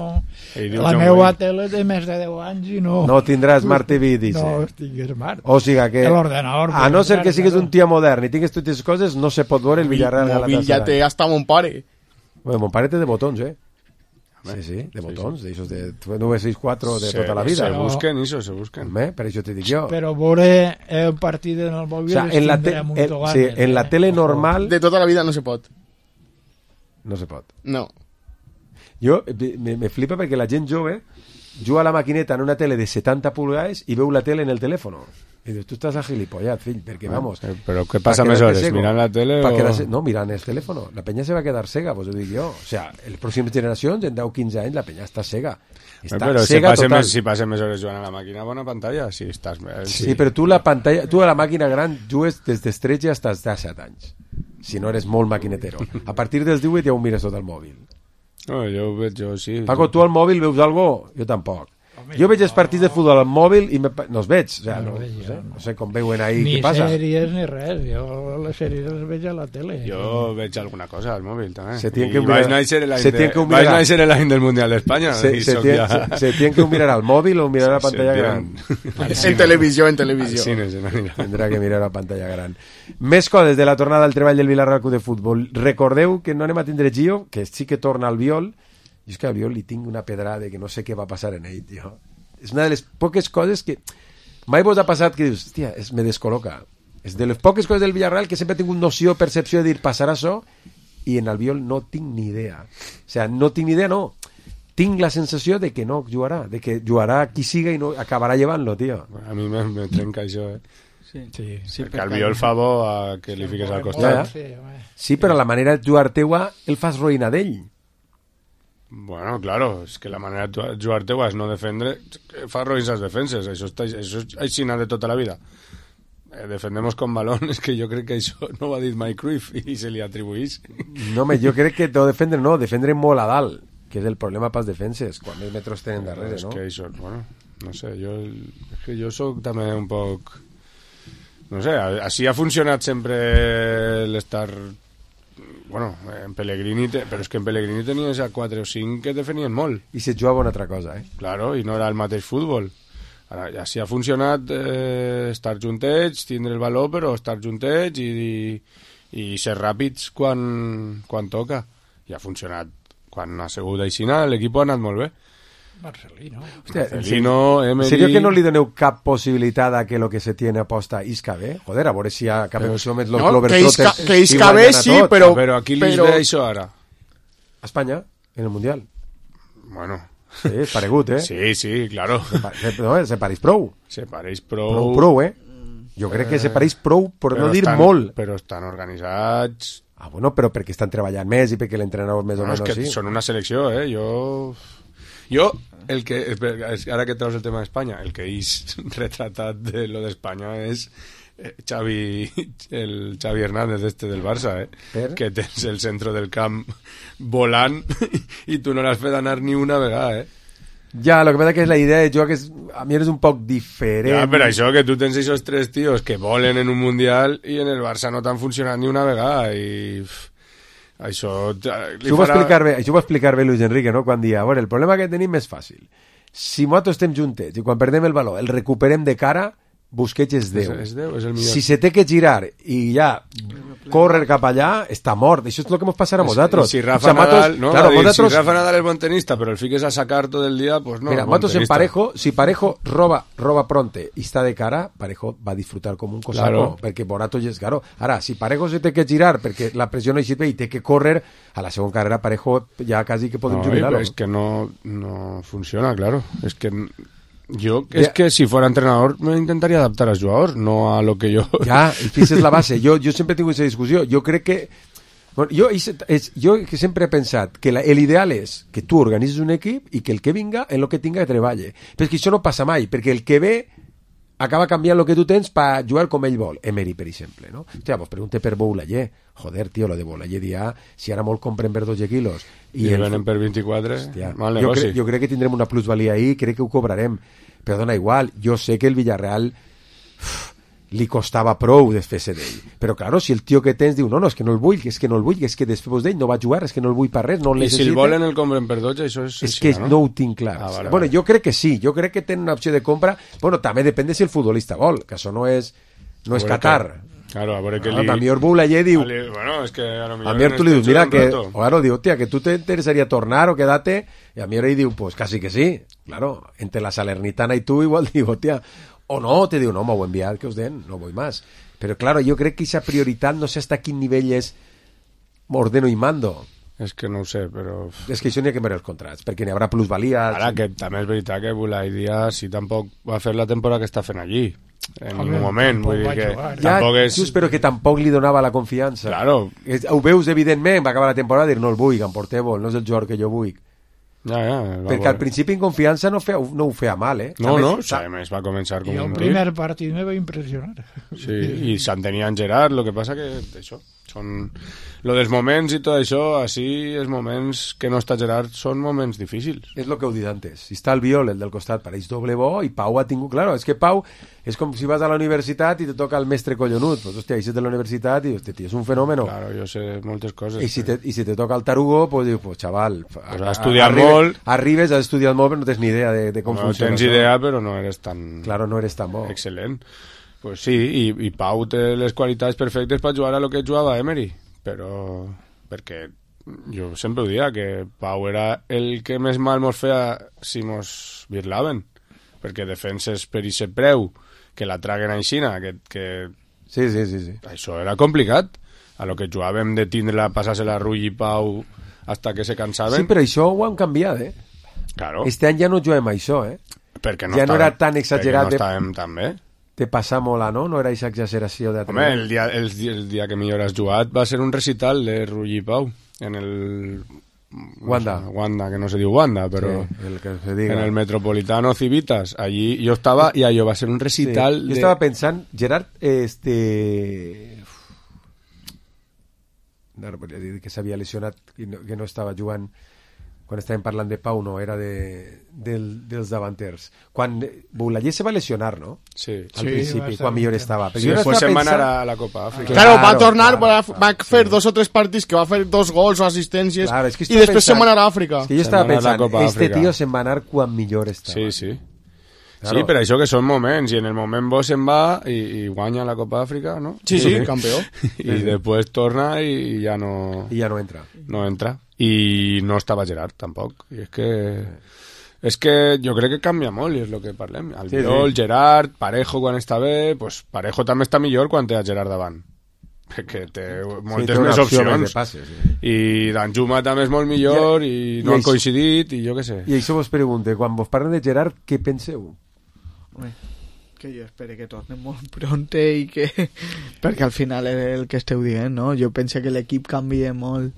La meva tele té més de deu anys i no... No tindràs Smart T V, dice. No, estic Smart. O sigui que... L'ordenador... A no ser que sigues un tio modern i tingues totes les coses, no se pot veure el Villarreal Galatasaray. El mòbil ja té hasta mon pare. Bueno, mon pare té de botons, eh? Sí, sí, de botons, d'aixòs de nueve seis cuatro de tota la vida. Se busquen, això, se busquen. Eh? Per això t'he dit jo. Però veure el partit en el mòbil, o sea, en la te el, sí, en la tele normal... De tota la vida no se pot. No se pot. No. Jo, me, me flipa perquè la gent jove juga a la maquineta en una tele de setanta pulgades i veu la tele en el telèfon. I dius, tu estàs a gilipollat, fill, perquè, vamos... Eh, però què passa més hores? Mirant la tele o...? Quedar, no, mirant el telèfon. La penya se va quedar cega, pues ho dic jo. O sea, en les pròximes generacions, en deu o quinze anys, la penya està cega. Està però cega si total. Més, si passen més hores jugant a la màquina, bona pantalla. Si estàs... Sí, sí, però tu la pantalla, tu a la màquina gran jugues des dels tretze fins als disset anys. Si no eres molt maquinetero. A partir dels divuit ja ho mires tot al mòbil. No, jo ho veig, jo sí. Paco, tu al mòbil veus algo? Jo tampoc. Jo veig els partits de futbol al mòbil i me... no els veig, o sea, no, no, no, sé, no sé com veuen ahí ni què passa. Ni sèries ni res, jo les sèries les veig a la tele. Jo veig alguna cosa al mòbil també. Se tiene que mirar, vaig néixer l'any del Mundial d'Espanya. Se, se, ja... se, se tiene que mirar al mòbil o mirar a la pantalla gran. En televisió, en televisió. Sí, no, no, Tendrà que mirar a la pantalla gran. Més coses de la tornada al treball del Villarreal Club de Futbol. Recordeu que no anem a tindre Gio, que sí que torna al Viol. I és que al Viol li tinc una pedrada que no sé què va passar en ell, tio. És una de les poques coses que mai vos ha passat que dius, hòstia, es me descol·loca. És de les poques coses del Villarreal que sempre he tingut noció, percepció de dir, passarà això, i en Albiol no tinc ni idea. O sea, no tinc ni idea, no. Tinc la sensació de que no jugarà, de que jugarà qui siga i no acabarà llevant-lo, tio. A mi me, me trenca això, eh? Sí, sí, sí, perquè Albiol fa bo a que li fiques al costat. Ja, ja. Sí, però la manera de jugar teua el fas roïna d'ell. Bueno, claro, es que la manera de jugar teua és no defendre, fa roïns les defenses, això, està, això és aixina de tota la vida. Eh, defendemos con balón, és que jo crec que això no ho ha dit Mike Cruyff i se li atribuís. No, home, jo crec que no defendre, no, defendre molt a dalt, que és el problema pels defenses, quan els metros tenen darrere, no? És que això, bueno, no sé, jo, és que jo soc també un poc... No sé, així ha funcionat sempre l'estar... Bueno, en Pellegrini, te... però és que en Pellegrini tenies a quatre o cinc que defenien molt. I se jugava una altra cosa, eh? Claro, i no era el mateix futbol. Ara, ja si ha funcionat eh, estar juntets, tindre el valor, però estar juntets i, i, i ser ràpids quan, quan toca. I ha funcionat. Quan ha sigut aixina, l'equip ha anat molt bé. Marcelino. Hostia, Marcelino, Emery... ¿En serio que no li doneu cap possibilitat a que lo que se tiene aposta isca bé? Joder, a veure si acabem en aquest moment los no, Globetrotters que isca bé sí, però... Però aquí li però... ve això ara. A Espanya, en el Mundial. Bueno... Sí, és paregut, eh? Sí, sí, claro. Se, pa se, no, se pareix prou. Se pareix prou... Prou, prou, eh? Jo crec que se pareix prou, per no dir estan, molt. Però estan organitzats... Ah, bueno, però perquè estan treballant més i perquè l'entrenador més o no, menys és que sí. Són una selecció, eh? Jo... Jo, el que, ara que treus el tema d'Espanya, el que és retratat de lo d'Espanya és Xavi, el Xavi Hernández este del Barça, eh? Per? Que tens el centre del camp volant i tu no l'has fet anar ni una vegada, eh? Ja, lo que passa que és la idea de joc és, a mi és un poc diferent. Ja, per això que tu tens aquests tres tios que volen en un Mundial i en el Barça no t'han funcionat ni una vegada i... Això, això, ho farà... explicar bé, això ho va explicar bé Luis Enrique, no? Quan dia, a veure, el problema que tenim és fàcil. Si nosaltres estem juntets i quan perdem el valor el recuperem de cara, Busquets és Déu. És, és Déu, és el millor. Si se té que girar i ja córrer cap allà, està mort. Això és el que ens passarà a nosaltres. Si Rafa, o sea, Nadal, matos, no, claro, dir, nosaltres... si Rafa Nadal és bon tenista, però el fiques a sacar tot el dia, pues no. Mira, nosaltres en Parejo, si Parejo roba, roba pronte i està de cara, Parejo va disfrutar com un cosaco, claro. Perquè Borato ja és caro. Ara, si Parejo se té que girar perquè la pressió no hi sirve i té que córrer, a la segona carrera Parejo ja quasi que podem no, jubilar-lo. És que no, no funciona, claro. És que Yo, es Ya. que si fuera entrenador me intentaría adaptar als jugadors, no a lo que yo... Ja, i aquesta és la base. Jo, jo sempre he tingut aquesta discussió. Jo crec que... Bueno, jo, és, és, jo que sempre he pensat que la, l'ideal és que tu organitzes un equip i que el que vinga en el que tinga que treballe. Però és que això no passa mai, perquè el que ve acaba canviant el que tu tens per jugar com ell vol. Emery, per exemple, no? Hòstia, pues pregunte per Boulaye. Joder, tio, lo de Boulaye dia, si ara molt compren per dotze quilos. I, I el venen per vint-i-quatre, hòstia, mal jo, negoci. cre, jo crec que tindrem una plusvalia ahí, crec que ho cobrarem. Però dona igual, jo sé que el Villarreal uf, li costava prou desfer-se d'ell. Però, claro, si el tio que tens diu no, no, és que no el vull, és que no el vull, és que després d'ell no va jugar, és que no el vull per res, no el I necessita. si el volen el compren per dotze, això és... És així, que no? no ho tinc clar. Ah, vale, bueno, vale. jo crec que sí, jo crec que tenen una opció de compra. Bueno, també depèn de si el futbolista vol, que això no és, no és A veure Qatar. que- Claro, a veure que No, li... a millor Boulaye diu... Ali- Bueno, és que a lo A millor... mi tu li dius, mira, que... Rato. O claro, diu, hòstia, que tu te interesaria tornar o quedarte... Y a mi ell diu, pues casi que sí. Claro, entre la Salernitana y tú igual digo, hòstia... O no, te diu, no, m'ho enviar, que us den, no vull más. Però, claro, jo crec que esa prioritat, no sé hasta quin nivell és ordeno i mando. És que no ho sé, però... És que això n'hi ha que veure els contrats, perquè n'hi haurà plusvalies... Ara, que també és veritat que Boulaye Díaz sí tampoc va fer la temporada que està fent allí. En Home, ningú moment, tampoc vull dir va que... jugar. Ja, Tampoc és... just, però que tampoc li donava la confiança. Claro. És, ho veus, evidentment, va acabar la temporada i dir, no el vull, que em porteu, no és el jugador que jo vull. Ja, ja, va Perquè al principi en confiança no, feia, no ho feia mal, eh? No, També- no, o sea, a més va començar com I el un primer partit me va impressionar. Sí, i se'n tenien Gerard, lo que passa que això, són... Lo dels moments i tot això, així, els moments que no està Gerard són moments difícils. És el que heu dit antes. Si està el Viol, el del costat, pareix doble bo, i Pau ha tingut... Claro, és que Pau és com si vas a la universitat i te toca el mestre collonut. Pues, hòstia, eixes de la universitat i, hòstia, tio, és un fenòmeno. Claro, jo sé moltes coses. I si te, i si te toca el tarugo, pues dius, pues, xaval... Pues has estudiat molt. Arribes, has estudiat molt, però no tens ni idea de, de com No funciona. tens això. idea, però no eres tan... Claro, no eres tan bo. Excel·lent. Pues sí, i, i Pau té les qualitats perfectes per jugar a lo que jugava Emery, però... perquè jo sempre ho dia, que Pau era el que més mal mos feia si mos virlaven, perquè defenses per ixe preu, que la traguen a Xina, que, que... Sí, sí, sí, sí. Això era complicat. A lo que jugàvem de tindre-la, passar-se-la a Rull i Pau hasta que se cansaven. Sí, però això ho han canviat, eh? Claro. Este any ja no juguem a això, eh? Perquè no ja no estàvem- era tan exagerat perquè no estàvem tan bé. de passar molt a, no? No era aquesta exageració de... Home, el dia, el, dia- el dia que millor has jugat va ser un recital de Rull i Pau en el... Wanda. No sé, Wanda, que no se diu Wanda, però... Sí, el que se diga. En el Metropolitano Civitas. Allí jo estava i allò va ser un recital Sí. de... Jo estava pensant, Gerard, este... No, volia dir que s'havia lesionat i no, que no estava jugant quan estàvem parlant de Pau, no, era de, del, dels davanters. Quan Boulaye se va lesionar, no? Sí. Al Sí, principi, va quan ser- millor estava. Sí, jo no después estava se'n va anar pensant- a la Copa Àfrica. Claro, va Claro, tornar, claro. va, va fer dos o tres partits que va fer dos gols o assistències Claro, és que i estava després pensant- se'n va anar a Àfrica. És que jo estava pensant, este tio se'n va anar quan millor estava. Sí, sí. Claro. Sí, per això que són moments, i en el moment bo se'n va i, i guanya la Copa Àfrica, no? Sí, sí, campió. I després torna i ja no... I ja no entra. No entra. I no estava Gerard, tampoc. I és que... És que jo crec que canvia molt, i és el que parlem. Albiol, Sí, sí. Gerard, Parejo quan està bé, pues Parejo també està millor quan té a Gerard davant. Perquè té moltes té una més opció opcions. més de passes, sí. I Danjuma també és molt millor, i, I no han això- coincidit, i jo què sé. I això vos pregunte, quan vos parlen de Gerard, què penseu? Home, que jo espero que torni molt pronte i que... perquè al final és el que esteu dient, no? Jo penso que l'equip canvia molt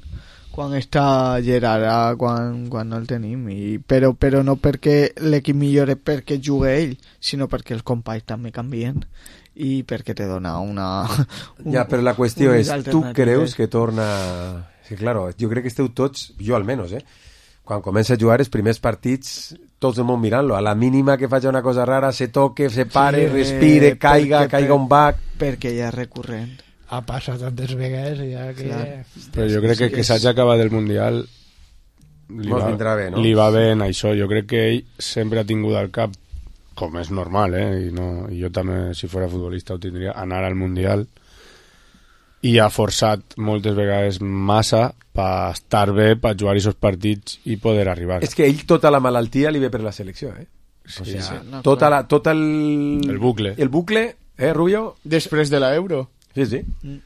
quan està Gerard a quan, quan no el tenim i, però, però no perquè l'equip millore perquè juga ell, sinó perquè els companys també canvien i perquè te dona una... Un, Ja, però la qüestió unes és, tu alternatives. creus que torna... Sí, claro, jo crec que esteu tots, jo almenys, eh? Quan comença a jugar els primers partits, tots el món mirant-lo. A la mínima que faci una cosa rara, se toque, se pare, Sí, respire, caiga, perquè- caiga un bac... perquè ja és recurrent. Ha passat tantes vegades ja que... Clar. Però jo crec que que s'hagi acabat el Mundial li Mos va, vindrà bé, no? li va bé en això. Jo crec que ell sempre ha tingut al cap, com és normal, eh? I, no, i jo també, si fora futbolista, ho tindria, anar al Mundial, i ha forçat moltes vegades massa per estar bé, per jugar aquests partits i poder arribar. És que ell tota la malaltia li ve per la selecció, eh? Sí, o sigui, sí. No, tota clar. la, tot el... El bucle. El bucle, eh, Rubio? Després de la Euro. Sí, sí. Mm.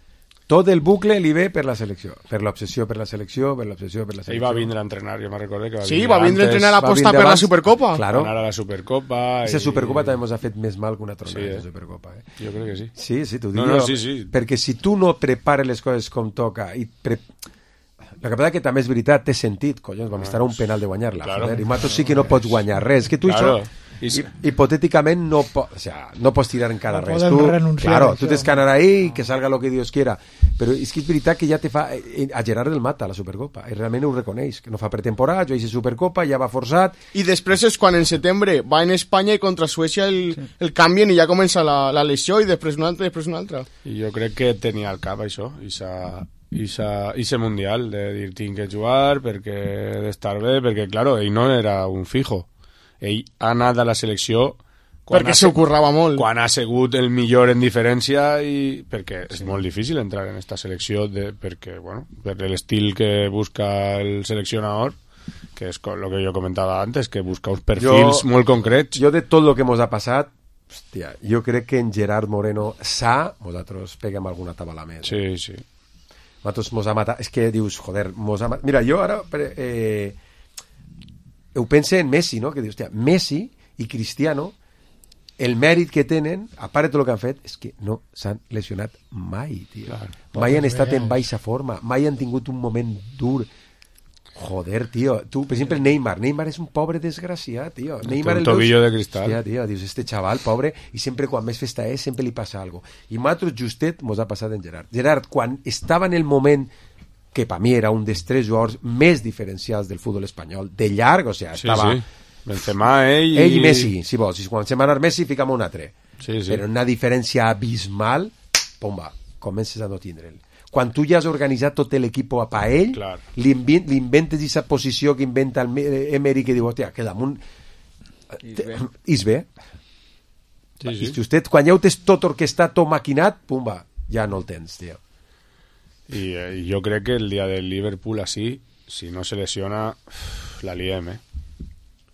tot el bucle li ve per la selecció, per l'obsessió per la selecció, per l'obsessió per la selecció. Ell va vindre a entrenar, jo me recordo que va sí, vindre va vindre a entrenar a apostar per la Supercopa. Claro. Anar a la Supercopa. Esa i... Supercopa també ens ha fet més mal que una tronada, sí, eh? la Supercopa. Eh? Jo crec que sí. Sí, sí, t'ho dic no, no, jo. sí, sí. Perquè si tu no prepares les coses com toca i... Pre... La que passa que també és veritat, té sentit, collons, vam estar a un penal de guanyar-la, claro. Joder, i mato sí que no pots guanyar res, que tu claro. Això... I, hipotèticament no, po o sea, no pots tirar encara no res tu, claro, tu tens que anar ahí que salga lo que Dios quiera, però és que és veritat que ja te fa a Gerard el mata la Supercopa i realment ho reconeix, que no fa pretemporada, jo hice Supercopa, ja va forçat i després és quan en setembre va en Espanya i contra Suècia el, sí. el canvien i ja comença la, la lesió i després una altra, després una altra i jo crec que tenia al cap això i s'ha i ese mundial de dir tinc que jugar perquè he d'estar bé, perquè claro, ell no era un fijo, ell ha anat a la selecció perquè s'ho currava molt quan ha sigut el millor en diferència i perquè és sí. molt difícil entrar en esta selecció de, perquè, bueno, per l'estil que busca el seleccionador que és el que jo comentava antes, que busca uns perfils jo, molt concrets. Jo de tot el que mos ha passat hòstia, jo crec que en Gerard Moreno sa, nosaltres peguem alguna tabala més. Sí, sí. Nosaltres mos ha matat, és que dius, joder, mos ha matat. Mira, jo ara eh, ho pense en Messi, no? Que dius, hòstia, Messi i Cristiano, el mèrit que tenen, a part de tot el que han fet, és que no s'han lesionat mai, tio. Clar, mai han estat en baixa forma, mai han tingut un moment dur. Joder, tio, tu, per exemple, Neymar, Neymar és un pobre desgraciat, tio. Neymar un tobillo de cristal. Hòstia, tio, dius, este xaval, pobre, i sempre quan més festa és, sempre li passa algo. I nosaltres justet mos ha passat en Gerard. Gerard, quan estava en el moment que per mi era un dels tres jugadors més diferencials del futbol espanyol, de llarg, o sigui, estava... Sí, sí. Benzema, ell i... Ell i Messi, si vols. Si quan se'n va anar Messi, ficam un altre. Sí, sí. Però una diferència abismal, pomba, comences a no tindre'l. Quan tu ja has organitzat tot l'equip a ell, li, invent, li inventes aquesta posició que inventa el Emery, que diu, hòstia, que damunt... És bé. Sí, sí. I si usted, quan ja ho tens tot orquestat, tot maquinat, pumba, ja no el tens, tio. I eh, jo crec que el dia del Liverpool així, si no se lesiona, la liem, eh?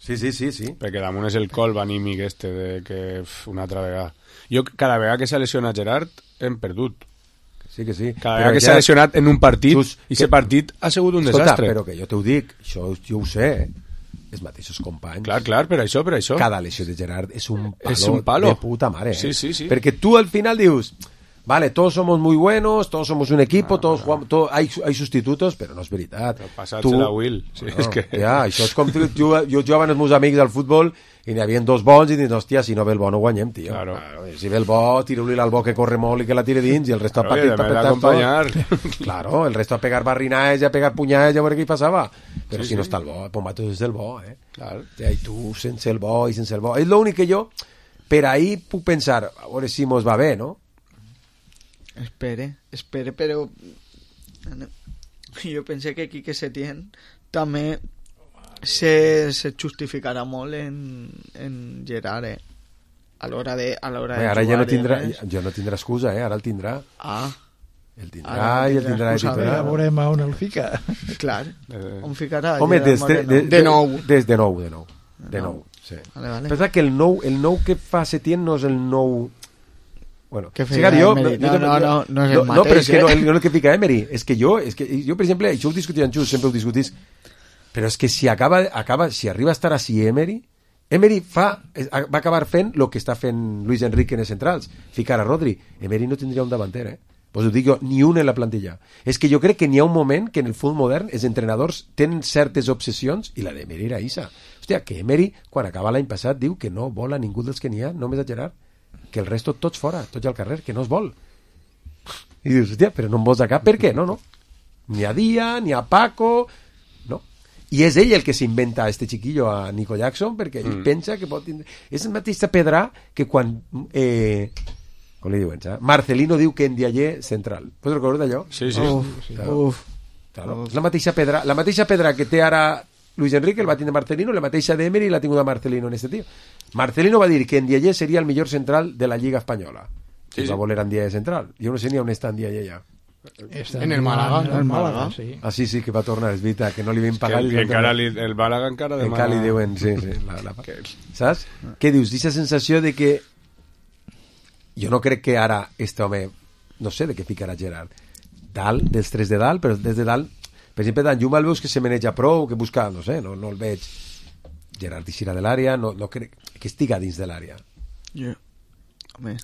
Sí, sí, sí, sí. Perquè damunt és el colp anímic este de que uf, una altra vegada. Jo, cada vegada que s'ha lesionat Gerard, hem perdut. Sí que sí. Cada vegada que s'ha lesionat en un partit, Just, i aquest partit ha sigut un escolta, desastre. Però que jo t'ho dic, això jo ho sé, eh? Els mateixos companys. Clar, clar, per això, per això. Cada lesió de Gerard és un palo, és un palo. de puta mare. Sí, eh? sí, sí. Perquè tu al final dius... Vale, todos somos muy buenos, todos somos un equipo, no, todos no. jugamos, todo, hay, hay sustitutos, però no és veritat. Passats la Will. Sí, no, és que... Ja, això és com tu, jo, jo jugava amb els meus amics al futbol i n'hi havia dos bons i dius, hòstia, si no ve el bo no guanyem, tio. Claro. Claro, si ve el bo, tira-li al bo que corre molt i que la tire dins i el resto claro, a partir per d'acompanyar. Claro, el resto a pegar barrinaes i a pegar punyades i a veure què hi passava. Però sí, si sí. no està el bo, Pombato és el bo, eh? Claro. Ja, i tu sense el bo i sense el bo. És l'únic que jo, per ahí puc pensar, a veure si mos va bé, no? Espere, espere, però jo pensé que Quique Setién també se, se justificarà molt en, en Gerard, eh? A l'hora de, a l'hora de ara jugar, ja no tindrà, eh? ja no tindrà excusa, eh? Ara el tindrà. Ah. El tindrà i el tindrà de titular. Ja veurem on el fica. Clar, on ficarà? Home, des de, de, de nou. Des de nou, de nou. De nou, sí. Vale, vale. Pensa que el nou, el nou que fa Setién no és el nou... Bueno, que feia jo, Emery. No, no, no, no és el no, mateix. No, però és que eh? no, el, no el que fica Emery. És que jo, és que jo per exemple, això ho discutia en Just, sempre ho discutís, però és que si acaba, acaba si arriba a estar així Emery, Emery fa, va acabar fent el que està fent Luis Enrique en els centrals, ficar a Rodri. Emery no tindria un davanter, eh? Pues ho dic jo, ni un en la plantilla. És que jo crec que n'hi ha un moment que en el futbol modern els entrenadors tenen certes obsessions i la d'Emery era Isa. Hòstia, que Emery, quan acaba l'any passat, diu que no vol a ningú dels que n'hi ha, només a Gerard, que el resto tots fora, tots al carrer, que no es vol. I dius, hòstia, però no em vols a cap, per què? No, no. Ni a Dia, ni a Paco, no. I és ell el que s'inventa a este chiquillo, a Nico Jackson, perquè ell mm. pensa que pot tindre... És el mateix pedrà que quan... Eh... Com li diuen, saps? Marcelino diu que en Diallé central. Pots recordar d'allò? Sí, sí. Uf, sí. Uf. Claro. És la mateixa pedra, la mateixa pedra que té ara Luis Enrique, el va tindre Marcelino, la mateixa d'Emery la ha tingut a Marcelino en este tio. Marcelino va dir que en Diallé seria el millor central de la Lliga Espanyola. Sí, sí. Va voler en Diallé central. Jo no sé ni on està en Diallé ja. Està en el Málaga. En el Málaga, sí. Ah, sí, sí, que va tornar, és veritat, que no li vam pagar. Que, que encara li, el Málaga encara demana... Encara li diuen, sí, sí. La, la... Saps? Què dius? D'aquesta sensació de que jo no crec que ara este home, no sé de què ficarà Gerard, dalt, dels tres de dalt, però des de dalt, per exemple, Danjuma el veus que se maneja prou, que busca, no sé, no, no el veig Gerard Teixeira de l'àrea, no, no crec que estiga dins de l'àrea. Jo, home,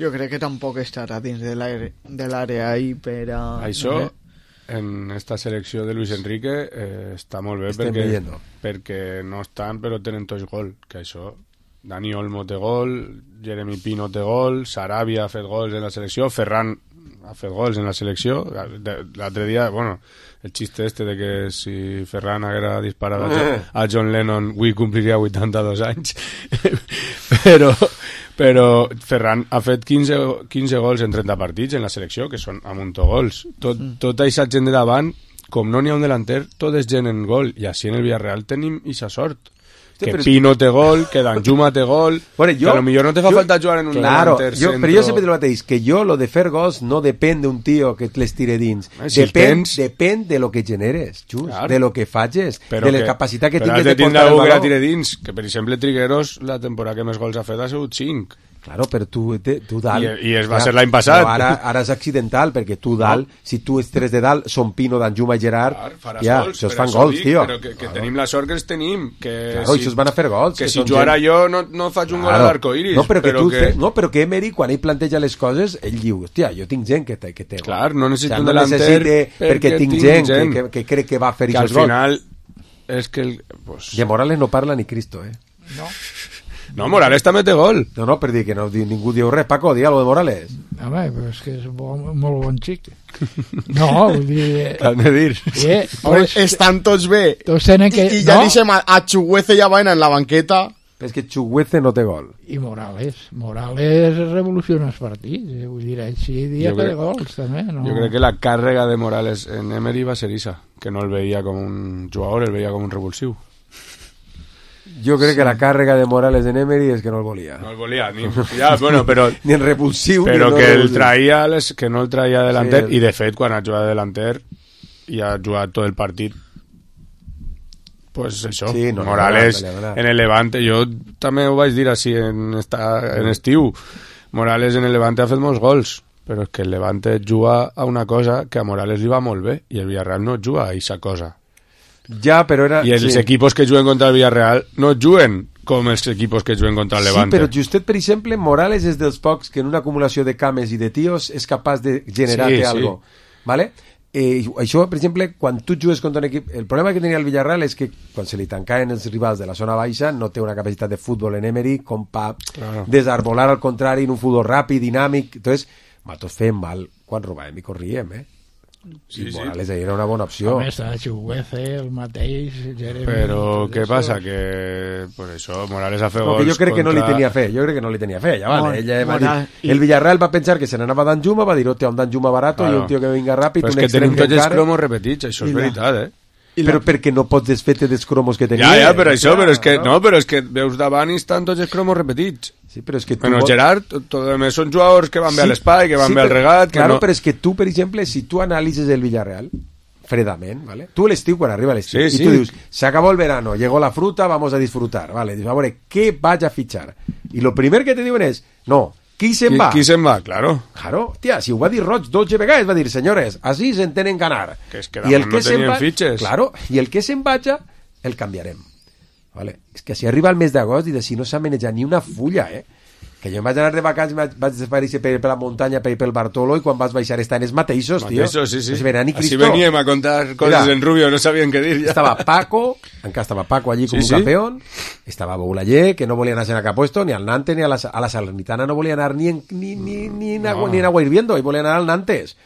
jo crec que tampoc estarà dins de l'àrea de l'àrea ahí per a... Això, no sé. en esta selecció de Luis Enrique eh, està molt bé Estem perquè, veient. perquè no estan però tenen tots gol, que això Dani Olmo té gol, Jeremy Pino té gol, Sarabia ha fet gols en la selecció, Ferran ha fet gols en la selecció. L'altre dia, bueno, el xiste este de que si Ferran haguera disparat a John, a John Lennon avui compliria vuitanta-dos anys però però Ferran ha fet quinze, quinze gols en trenta partits en la selecció, que són a muntó gols. Tot, mm. tota aquesta gent de davant, com no n'hi ha un delanter, tot és gent en gol, i així en el Villarreal tenim ixa sort. Que sí, Pino té gol, que Danjuma té gol, bueno, yo, que a lo millor no te fa yo, falta jugar en un claro, delanter yo, centro. Però jo sempre te lo mateix, que jo lo de fer gols no depèn d'un tio que les tire dins. Eh, si depèn, tens... depèn de lo que generes, just, claro. De lo que facis, però de la que, capacitat que tingues de portar el valor. Que tire dins, que per exemple Trigueros la temporada que més gols ha fet ha sigut cinc. Claro, però tu, te, tu dalt... I, i es va ja, ser l'any passat. Ara, ara és accidental, perquè tu dalt, no. Si tu ets tres de dalt, són Pino, Danjuma i Gerard, clar, ja, gols, això es fan gols, dic, tio. Però que, que claro. Tenim la sort que els tenim. Que claro, si, això es van a fer gols. Que, que si jugara gent... jo no, no faig un claro. Gol a l'arcoiris. No, però que, però tu que... Fe, no, però que Emery, quan ell planteja les coses, ell diu, hòstia, jo tinc gent que té, que té gol. Clar, no necessito o sea, un no delanter perquè, perquè tinc gent, gent. Que, que crec que va fer aquests gols. Que al final és que... El, pues... I a Morales no parla ni Cristo, eh? No. No, Morales també té gol. No, no, per dir que no, ningú diu res. Paco, digue algo de Morales. Home, però és que és bon, molt bon xic. No, vull dir... Cal de dir. Eh, pues, estan tots bé. Tots tenen que... I, i ja no? Deixem a, a Chuguece i a Baena en la banqueta. Però és que Chuguece no té gol. I Morales. Morales revoluciona els partits. Eh? Vull dir, així dia té gols, també. No? Jo crec que la càrrega de Morales en Emery va ser issa, que no el veia com un jugador, el veia com un revulsiu. Jo crec sí. Que la càrrega de Morales en Emery és que no el volia. No el volia, ni, ja, bueno, però, ni en repulsiu. Però ni que, no el traia les, que no el traia delanter, sí, el... i de fet, quan ha jugat de delanter i ha jugat tot el partit, pues això, sí, no, Morales no, no, no, no. En el Levante, jo també ho vaig dir així en, esta, en estiu, Morales en el Levante ha fet molts gols, però és que el Levante juga a una cosa que a Morales li va molt bé, i el Villarreal no juga a aquesta cosa. Ja, però era... I els sí. Equipos que juguen contra el Villarreal no juguen com els equipos que juguen contra el Levante. Sí, però justet, per exemple, Morales és dels pocs que en una acumulació de cames i de tios és capaç de generar-te sí, algo. Sí. ¿Vale? Eh, això, per exemple, quan tu jugues contra un equip... El problema que tenia el Villarreal és que quan se li tancaven els rivals de la zona baixa no té una capacitat de futbol en Emery com pa claro. Desarbolar al contrari en un futbol ràpid, dinàmic. Entonces, nosaltres fem mal quan robàvem i corríem, eh? Sí, i Morales sí. Era una bona opció. Home, està Chuguece, el mateix, Jeremy... Però què això... passa? Que per això Morales ha fet no, gols que jo crec contra... que no li tenia fe, jo crec que no li tenia fe, ja vale. No, Ella va dir... I... El Villarreal va pensar que se n'anava Danjuma, va dir, hòstia, un Danjuma barato claro. I un tio que vinga ràpid, però un és que extrem tenim tots els encara... cromos repetits, això és veritat, eh? Però la... perquè no pots desfer-te dels cromos que tenia. Ja, ja, per això, però és que, no, però és que veus davant i estan tots els cromos repetits. Sí, però és que tu... Bueno, pot... Gerard, tot el més són jugadors que van sí, bé a l'espai, que van sí, bé al regat... Que claro, no... però és que tu, per exemple, si tu analitzes el Villarreal, fredament, ¿vale? Tu l'estiu, quan arriba l'estiu, sí, i sí. tu dius, se acabó el verano, llegó la fruta, vamos a disfrutar, ¿vale? Dius, a veure, què vaig a fitxar? I lo primer que te diuen és, no, qui se'n va? Qui se'n va, claro. Claro, tia, si ho va dir Roig dotze vegades, va dir, senyores, així s'entenen ganar. Que és que I el no tenien va... fitxes. Claro, i el que se'n vaja, el canviarem. Vale? És que si arriba el mes d'agost i de si no s'ha manejat ni una fulla, eh? Que jo em vaig anar de vacances, vaig desaparèixer per, per la muntanya, per, per el Bartolo, i quan vas baixar estan els mateixos, tio. Mateixos, sí, sí. Així veníem a contar coses Mira, en Rubio, no sabien què dir. Ja. Estava Paco, encara estava Paco allí com sí, un sí. campeón, estava Boulayer, que no volia anar a cap puesto, ni al Nantes, ni a la, a la Salernitana no volia anar ni en, ni, ni, ni en, agua, no. ni en agua hirviendo, i volia anar al Nantes.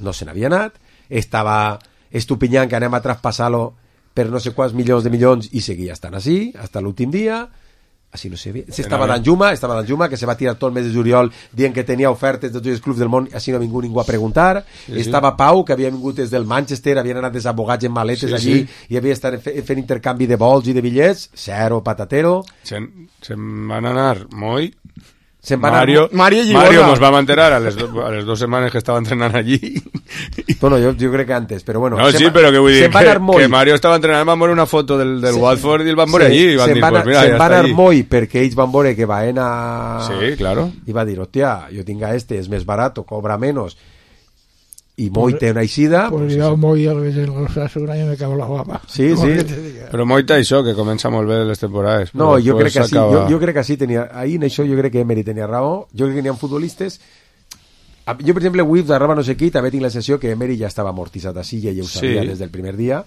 No se n'havia anat. Estava Estupiñán, que anem a traspassar-lo per no sé quants milions de milions, i seguia estant així, hasta l'últim dia. Així no sé bé. Estava Danjuma, estava Danjuma, que se va tirar tot el mes de juliol dient que tenia ofertes de tots els clubs del món, així no ha vingut ningú a preguntar. Sí, estava sí. Pau, que havia vingut des del Manchester, havien anat desabogats en maletes sí, allí, sí. I havia estat fent intercanvi de vols i de bitllets, zero patatero. Se'n se van anar Moi, Se'n van Mario, anar... Mario, Mario nos va a enterar a les, do, a les dos setmanes que estava entrenant allí. Bueno, jo, jo crec que antes, però bueno. No, sí, va, però que vull dir que, que Mario estava entrenant, van veure una foto del, del se, Watford i el van veure allí i van dir, pues mira, ja està allí. allí. Moi perquè ells van veure que va a... Sí, claro. I va dir, hòstia, jo tinc a este, és més barat, cobra menos. i Moita una eixida... Pues, pues jo a Moi el veig en l'Osasuna i me cago la guapa. Sí, sí. Però Moita això, que comença molt bé les temporades. No, jo crec que sí, jo, jo crec que sí tenia... Ahir en això jo crec que Emery tenia raó. Jo crec que n'hi ha futbolistes... Jo, per exemple, avui d'arraba no sé qui, també tinc la sensació que Emery ja estava amortitzat a Silla i ja ho sabia sí. des del primer dia.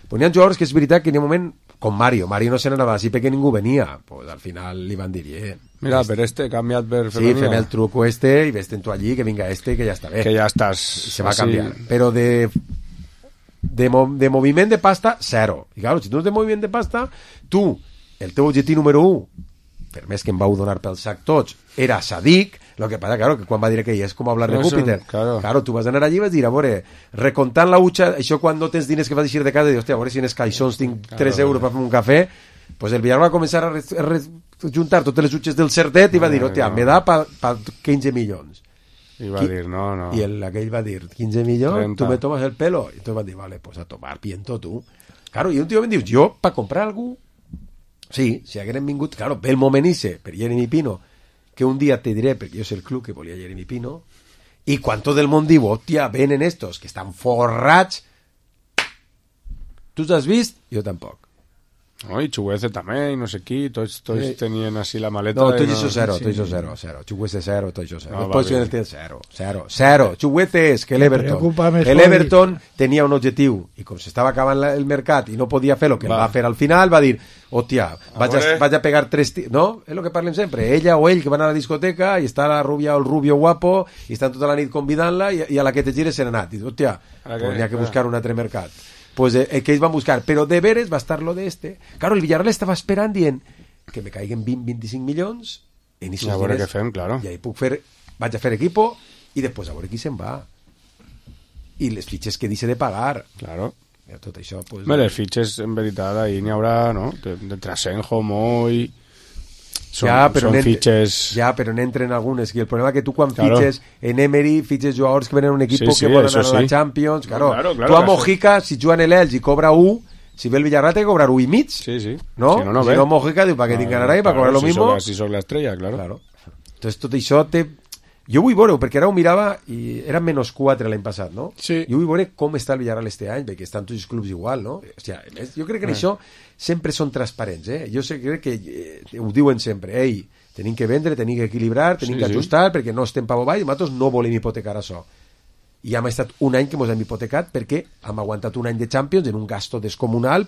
Però n'hi ha jugadors que és veritat que n'hi ha un moment com Mario, Mario no se n'anava així perquè ningú venia, pues al final li van dir eh, mira, per este, canviat per sí, fem el truco este i vés-te'n tu allí, que vinga este, que ja està bé que ja estàs i se va así. Canviar, però de de, mo de moviment de pasta, zero i clar, si tu no tens moviment de pasta tu, el teu objectiu número u per més que em vau donar pel sac tots era Sadik, lo que passa, claro, que quan va dir que és com hablar de Júpiter, claro. claro, tu vas anar allí i vas dir, a veure, recontant la utxa, això quan no tens diners que vas eixir de casa, dius, hòstia, a veure si en els caixons tinc claro, tres euros per fer un cafè, pues el Villar va començar a, a, a juntar totes les utxes del certet i va dir, hòstia, no. me da pa, pa quinze milions. I va Qui, dir, no, no. I el, aquell va dir, quinze milions, trenta. tu me tomas el pelo. I tu vas dir, vale, pues a tomar piento tu. Claro, i un tio em dius, jo, pa comprar algú, sí, si hagueren vingut, claro, ve el moment ise, per Jeremy Pino, que un dia te diré, perquè jo sé el club que volia Jeremy Pino, i quan tot el món diu, hòstia, venen estos, que estan forrats, tu els has vist? Jo tampoc. No, i Chuguece també, i no sé qui, tots, tots eh, tenien així la maleta. No, tot no... això zero, tot això zero, zero. Chuguece zero, tot això zero. No, Después vale. el zero, zero, zero. Chuguece és que l'Everton, el Everton tenia un objectiu, i com s'estava acabant la, el mercat i no podia fer el que va. va fer al final, va dir, hòstia, vaig a, vaig a pegar tres... No? És el que parlem sempre. Ella o ell que van a la discoteca i està la rubia o el rubio guapo i estan tota la nit convidant-la i, i a la que te gires se n'ha anat. I dius, hòstia, pues n'hi ha que buscar un altre mercat. Pues eh, que ells van buscar, però de veres va estar lo de este. Claro, el Villarreal estava esperant dient que me caiguen vint a vint-i-cinc milions en I a veure què fem, claro. I ahí puc fer, vaig a fer equipo i després a veure qui se'n va. I les fitxes que dice de pagar. Claro. I tot això, pues... Bé, les fitxes, en veritat, ahí n'hi haurà, no? De, de Trasenjo, Moi... Són, ja, però són fitxes... Ja, però n'entren algunes. I el problema que tu quan claro. fitxes en Emery, fitxes jugadors que venen a un equip sí, sí, que volen anar sí. a la Champions... Claro, claro, claro, tu a Mojica, si juguen l'Elx i cobra u, si ve el Villarreal té que cobrar u i mig. Sí, sí. No? Si no, no si no Mojica diu, ¿para qué tinc ganarà? ¿Para cobrar lo si mismo? Soc, si soc l'estrella, claro. claro. Entonces tot això té... Jo vull veure, perquè ara ho mirava i era menys quatre l'any passat, no? Sí. Jo vull veure com està el Villarreal este any, perquè estan tots els clubs igual, no? O sea, jo crec que en eh. això sempre són transparents, eh? Jo sé, crec que eh, ho diuen sempre, ei, tenim que vendre, tenim que equilibrar, tenim sí, que ajustar, sí. perquè no estem pa boball, i nosaltres no volem hipotecar això. I hem estat un any que ens hem hipotecat perquè hem aguantat un any de Champions en un gasto descomunal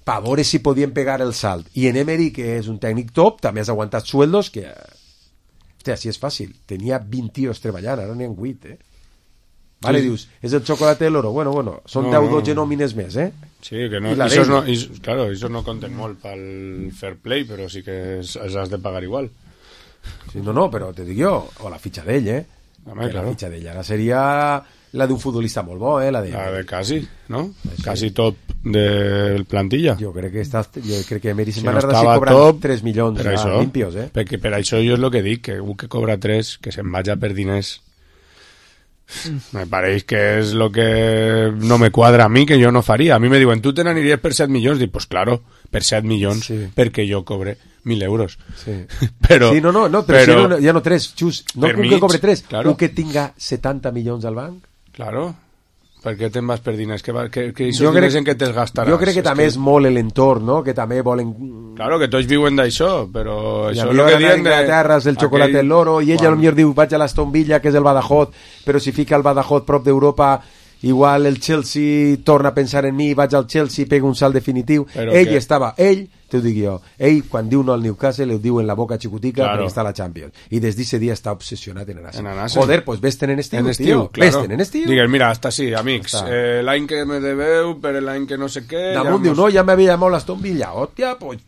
per veure si podíem pegar el salt. I en Emery, que és un tècnic top, també has aguantat sueldos que... Hòstia, així és fàcil. Tenia vint tios treballant, ara n'hi ha vuit, eh? Vale, sí. Dius, és el xocolate de l'oro. Bueno, bueno, són no, deu o dotze nòmines més, eh? Sí, que no, això no, i, claro, això no compten molt pel fair play, però sí que els has de pagar igual. Sí, no, no, però te dic jo, o la fitxa d'ell, eh? Home, claro. La fitxa d'ell ara seria la d'un futbolista molt bo, eh? La de, la de quasi, no? Sí. Quasi top de plantilla. Jo crec que està, jo crec que Emery se'n va anar d'ací cobrant tres milions per això, limpios, eh? Perquè per això jo és el que dic, que un que cobra tres, que se'n vaja per diners, me pareix que és lo que no me quadra a mi, que jo no faria. A mi me diuen, tu te n'aniries per set milions? Dic, pues claro, per set milions, sí. perquè jo cobre mil euros. Sí, però, sí no, no, no, però, però si no, ja no tres, xus, no un mig, que cobre tres, claro. un que tinga setanta milions al banc. Claro. Per què te'n vas per diners? Que, que, que jo crec, en què te'ls gastaràs? Jo crec que és també que... és molt l'entorn, no? Que també volen... Claro, que tots viuen d'això, però I això és el que diuen de... Terres, el xocolate aquell... l'oro, i ella potser diu, vaig a l'Aston Villa, que és el Badajoz, però si fica el Badajoz prop d'Europa, igual el Chelsea torna a pensar en mi, vaig al Chelsea, pega un salt definitiu. Però ell que... estava, ell, te ho dic jo, ell quan diu no al Newcastle, ho diu en la boca xicotica, claro. perquè està a la Champions. I des d'aquest dia està obsessionat en anar-se. Joder, pues vés-te'n en estiu, en estiu, tio. Claro. Vés-te'n en estiu. Digues, mira, hasta sí, amics, eh, l'any que me deveu, per l'any que no sé què... Damunt ja diu, no, ja m'havia llamado l'Aston Villa, hòstia, pues...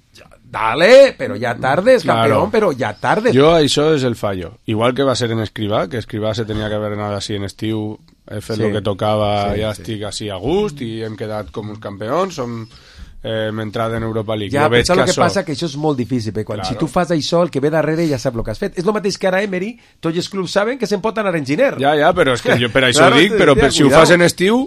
Dale, pero ya tardes, campeón, claro. pero ya tardes. Yo, això és el fallo. Igual que va ser en Escrivà, que Escrivà se tenia que haver anat així en estiu, he fet sí. el que tocava, sí, ja sí. estic així a gust, i hem quedat com uns campions, som... Eh, m'entrada en Europa League. Ja, però el que això... passa que això és molt difícil, perquè quan, claro. si tu fas això, el que ve darrere ja sap el que has fet. És el mateix que ara Emery, tots els clubs saben que se'n pot anar en giner. Ja, ja, però és que jo per això claro, dic, però per, si ho fas en estiu,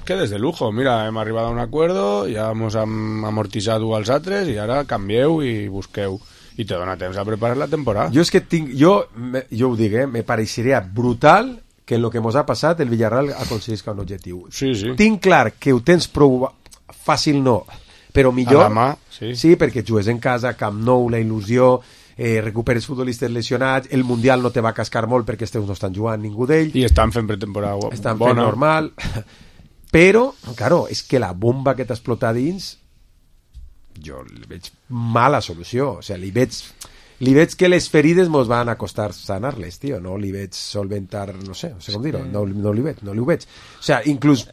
quedes de lujo. Mira, hem arribat a un acuerdo, ja hemos amortitzat als altres, i ara canvieu i busqueu. I te dona temps a preparar la temporada. Jo és que tinc... Jo, jo ho dic, eh? Me pareixeria brutal que en el que mos ha passat el Villarreal aconseguisca un objectiu. Sí, sí. Tinc clar que ho tens prou fàcil, no, però millor... A la mà, sí. Sí, perquè jugues en casa, Camp Nou, la il·lusió, eh, recuperes futbolistes lesionats, el Mundial no te va cascar molt perquè els teus no estan jugant ningú d'ells. I estan fent pretemporada bona. Estan fent normal. Però, claro, és que la bomba que t'ha explotat dins, jo li veig mala solució. O sigui, li veig... Li veig que les ferides mos van a costar sanar-les, tio. No li veig solventar, no sé, no sé com dir-ho. No, no li veig, no li ho veig. O sea, inclús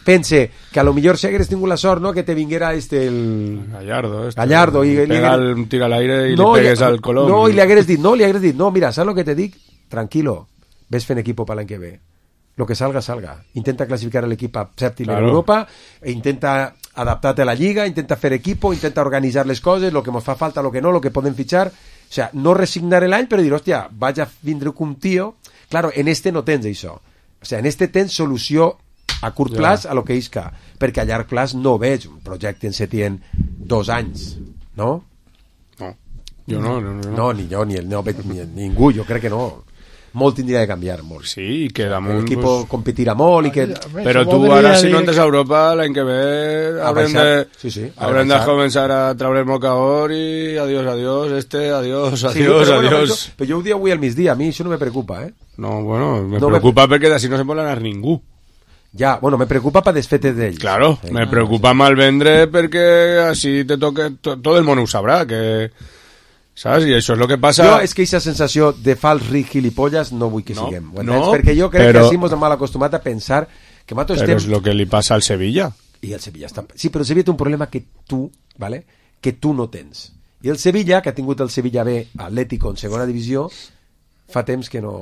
pense que a lo millor si hagués tingut la sort, no?, que te vinguera este el... Gallardo. Este, Gallardo. I, pega li... el, tira al aire i no, li pegues li... al Colom. No, i li hagués dit, no, li hagués dit, no, mira, saps lo que te dic? Tranquilo, ves fent equipo para l'any que ve. Lo que salga, salga. Intenta clasificar l'equip a sèptim claro. En Europa, e intenta adaptar-te a la lliga, intenta fer equipo, intenta organitzar les coses, lo que ens fa falta, lo que no, lo que podem fitxar. O sea, no resignar l'any, però dir, hòstia, vaig a vindre un tio... Claro, en este no tens això. O sea, en este tens solució a curt plaç ja. A lo que isca, perquè a llarg plaç no veig un projecte en Setién dos anys, no? No, jo no. No, no, no ni jo, ni, el, no, ni ningú, jo crec que no. Molt tindria de canviar, molt. Sí, i que damunt... L'equip pues... competirà molt i que... Però tu ara, si no entres a Europa, l'any que ve haurem de, sí, sí, haurem de començar a traure el mocador i adiós, adiós, este, adiós, adiós, sí, però, adiós. Bueno, jo, però jo ho dic avui al migdia, a mi això no me preocupa, eh? No, bueno, me no preocupa me... perquè d'ací no se pot anar ningú. Ja, bueno, me preocupa per desfetes d'ells. Claro, sí, me preocupa mal vendre perquè així te toque... Tot el món ho sabrà, que... Saps? I això és el que passa... Jo és que aquesta sensació de fals ric gilipolles no vull que no, siguem. No, perquè jo crec però, que així ens hem mal acostumat a pensar que nosaltres però estem... és el que li passa al Sevilla. I el Sevilla està... Sí, però el Sevilla té un problema que tu, ¿vale? que tu no tens. I el Sevilla, que ha tingut el Sevilla B Atlético en segona divisió, fa temps que no...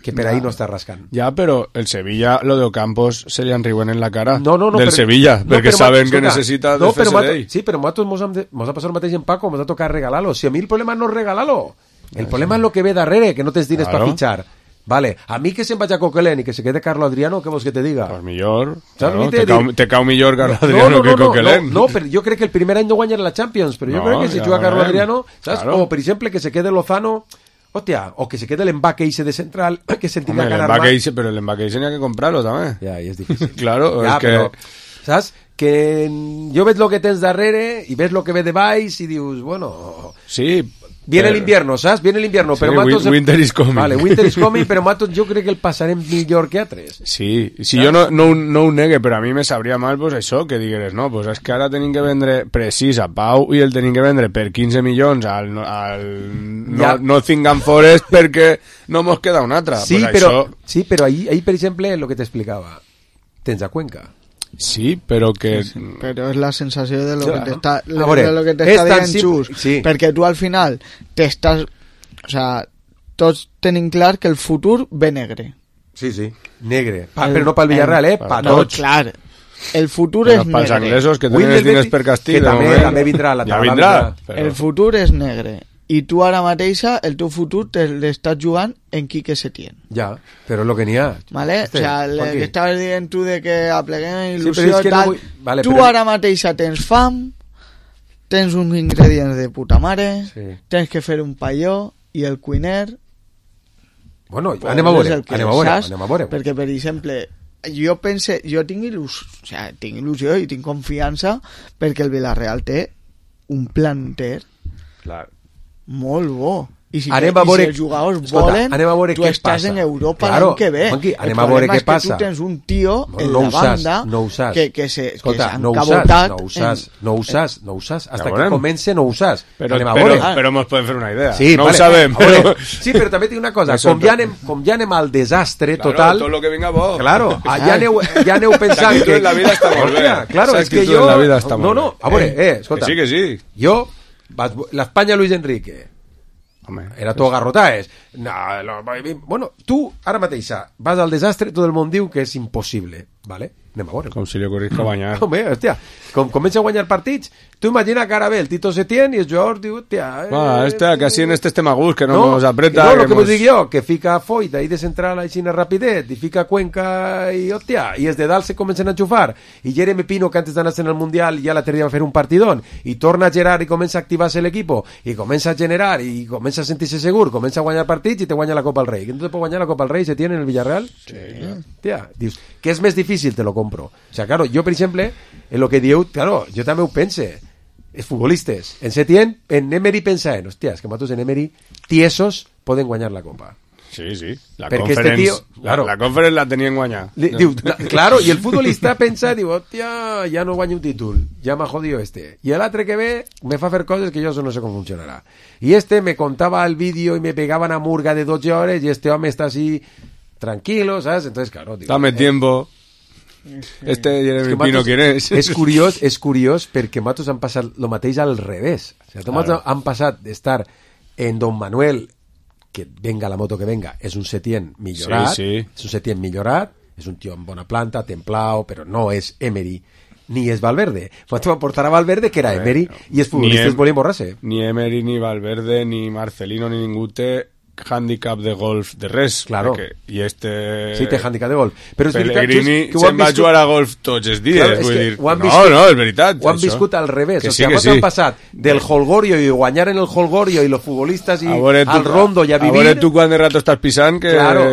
que per ahí no està rascant. Ja, però el Sevilla, lo de Ocampos, se li enriuen en la cara no, no, no, del però, Sevilla, no, perquè però, saben escolta, que necessita no, desfer-se d'ell. Sí, però nosaltres mos, de, mos ha passat el mateix en Paco, mos ha tocat regalar-lo. Si a mi el problema no és regalar-lo, el sí, problema sí. és lo que ve darrere, que no tens diners claro. per fitxar. Vale, a mi que se'n vaig a Coquelin i que se quede Carlo Adriano, què vols que te diga? Pues millor, claro, te, cau, te cau millor Carlo Adriano no, no, no, que Coquelin. No, no, no, però jo crec que el primer any no guanyarà la Champions, però jo no, crec que si juga Carlo Adriano, saps? Claro. O, per exemple, que se quede Lozano... Hostia, o que se quede el embaque ese de central que se entiende ganar más. Ese, pero el embaque ese tenía que comprarlo también. Ya, y es difícil. Claro, ya, es que... Pero, ¿sabes? Que yo ves lo que tens darrere y ves lo que ve de Vice y dius, bueno... Sí, Viene pero... el invierno, ¿sabes? Viene el invierno, sí, pero Matos... Winter is coming. Vale, winter is coming, pero Matos yo crec que el passarem millor que altres. Sí, si jo no, no, no ho negue, però a mi me sabria mal pues, això, que digueres, no, pues és que ara tenim que vendre precís a Pau i el tenim que vendre per quinze milions al, al ja. no, Nottingham Forest perquè no mos queda una altra. Sí, pues però, això... sí, però ahí, ahí, per exemple, lo que t'explicava, tens a Cuenca. Sí, però que... Sí, però és la sensació de lo sí, que t'està no? de lo que t'està dient Xus, sí. perquè tu al final t'estàs... O sea, tots tenim clar que el futur ve negre. Sí, sí, negre. Pa, el, però no pel Villarreal, eh? Pa no, tots. clar. El futur però és negre. Pels anglesos que tenen els diners per castell. Que també, també vindrà la ja vindrà. Però... El futur és negre. I tu ara mateixa, el teu futur te l'estàs jugant en Quique Setién. Ja, però és el que n'hi ha. Vale? Este, o sea, el que estaves dient tu de que apleguem il·lusió sí, i tal, no vull... vale, tu però... ara mateixa tens fam, tens uns ingredients de puta mare, sí. tens que fer un palló i el cuiner... Bueno, pues anem a veure, anem a veure, anem a veure. Perquè, per exemple, jo pense, jo tinc il·lusió, o sea, tinc il·lusió i tinc confiança perquè el Villarreal té un planter clar. molt bo. I si, anem que, a veure, i si els jugadors escolta, volen, anem a veure tu què estàs passa. en Europa claro, l'any que ve. Manqui, anem el a veure què és que passa. tu tens un tio no, en no la banda no usas, que, que se escolta, que no cabotat no usas, en... no usas, no usas, hasta ja que comence no usas. Però, anem a però, veure. però mos podem fer una idea. Sí, no vale, ho sabem. Però... Sí, però també tinc una cosa, com ja, anem, com ja anem al desastre claro, total... tot lo que venga bo. Claro, ja aneu, ja aneu pensant que... en la vida està molt bé. Claro, és que jo... No, no, a veure, eh, escolta. Que sí, que sí. Jo, l'Espanya Luis Enrique... Home, era tot garrotaes. No, no, bueno, tu ara mateixa vas al desastre, tot el món diu que és impossible. Vale, anem a veure. Com si li ocorris que guanyar. Home, hòstia, com comença a guanyar partits, tu imagina que ara ve el Tito Setién i el jugador diu, hòstia... Eh, ah, hòstia, que així en este estem a gust, que no, no nos apreta... No, el que, que mos... vos dic jo, que fica Foyt ahí de central així rapidet, i fica Cuenca i, hòstia, i els de dalt se comencen a enxufar, i Jeremy Pino, que antes d'anar en el Mundial ja l'altre dia va fer un partidón, i torna a Gerard i comença a activar-se l'equipo, i comença a generar, i comença a sentir-se segur, comença a guanyar partits i te guanya la Copa al Rei. Que no te pot guanyar la Copa al Rei, se tiene en el Villarreal? Sí. Hòstia, dius, que és més difícil, te lo compro. O sea, claro, yo, por ejemplo, en lo que diu, claro, yo també ho pense, els futbolistes, en Setién, en Emery pensa en, hòstia, és que matos en Emery, tiesos poden guanyar la Copa. Sí, sí, la Perquè conference, este tío, claro, la, la conference la tenien guanyar. Li, diu, la, claro, y el futbolista pensa, diu, hòstia, ja no guanyo un títol, ja m'ha jodido este. Y el altre que ve, me fa fer coses que jo no sé com funcionarà. Y este me contaba el vídeo y me pegaba una murga de doce horas y este home está así, tranquilo, ¿sabes? Entonces, claro, digo, dame eh, tiempo. Este Jeremy es Pino, ¿quién és? És curiós, és curiós perquè matos han passat el mateix al revés. O sigui, claro. Han passat d'estar en Don Manuel, que venga la moto que venga, és un Setién millorat, sí, sí. és un Setién millorat, és un tio amb bona planta, templao, però no és Emery, ni és Valverde. Mato va portar a Valverde, que era ver, Emery, no. I els futbolistes em, volien borrar-se. Ni Emery, ni Valverde, ni Marcelino, ni ningú té handicap de golf de res, claro. Perquè, i este... Sí, té handicap de golf. Però Pellegrini se'n va jugar a golf tots els dies, claro, vull dir... Viscut, no, no, és veritat. Ho han això. Viscut al revés, que o sigui, sí, sí. Han passat del holgorio i guanyar en el holgorio i los futbolistas i al tu, rondo i a vivir... A veure tu quant de rato estàs pisant que... Claro,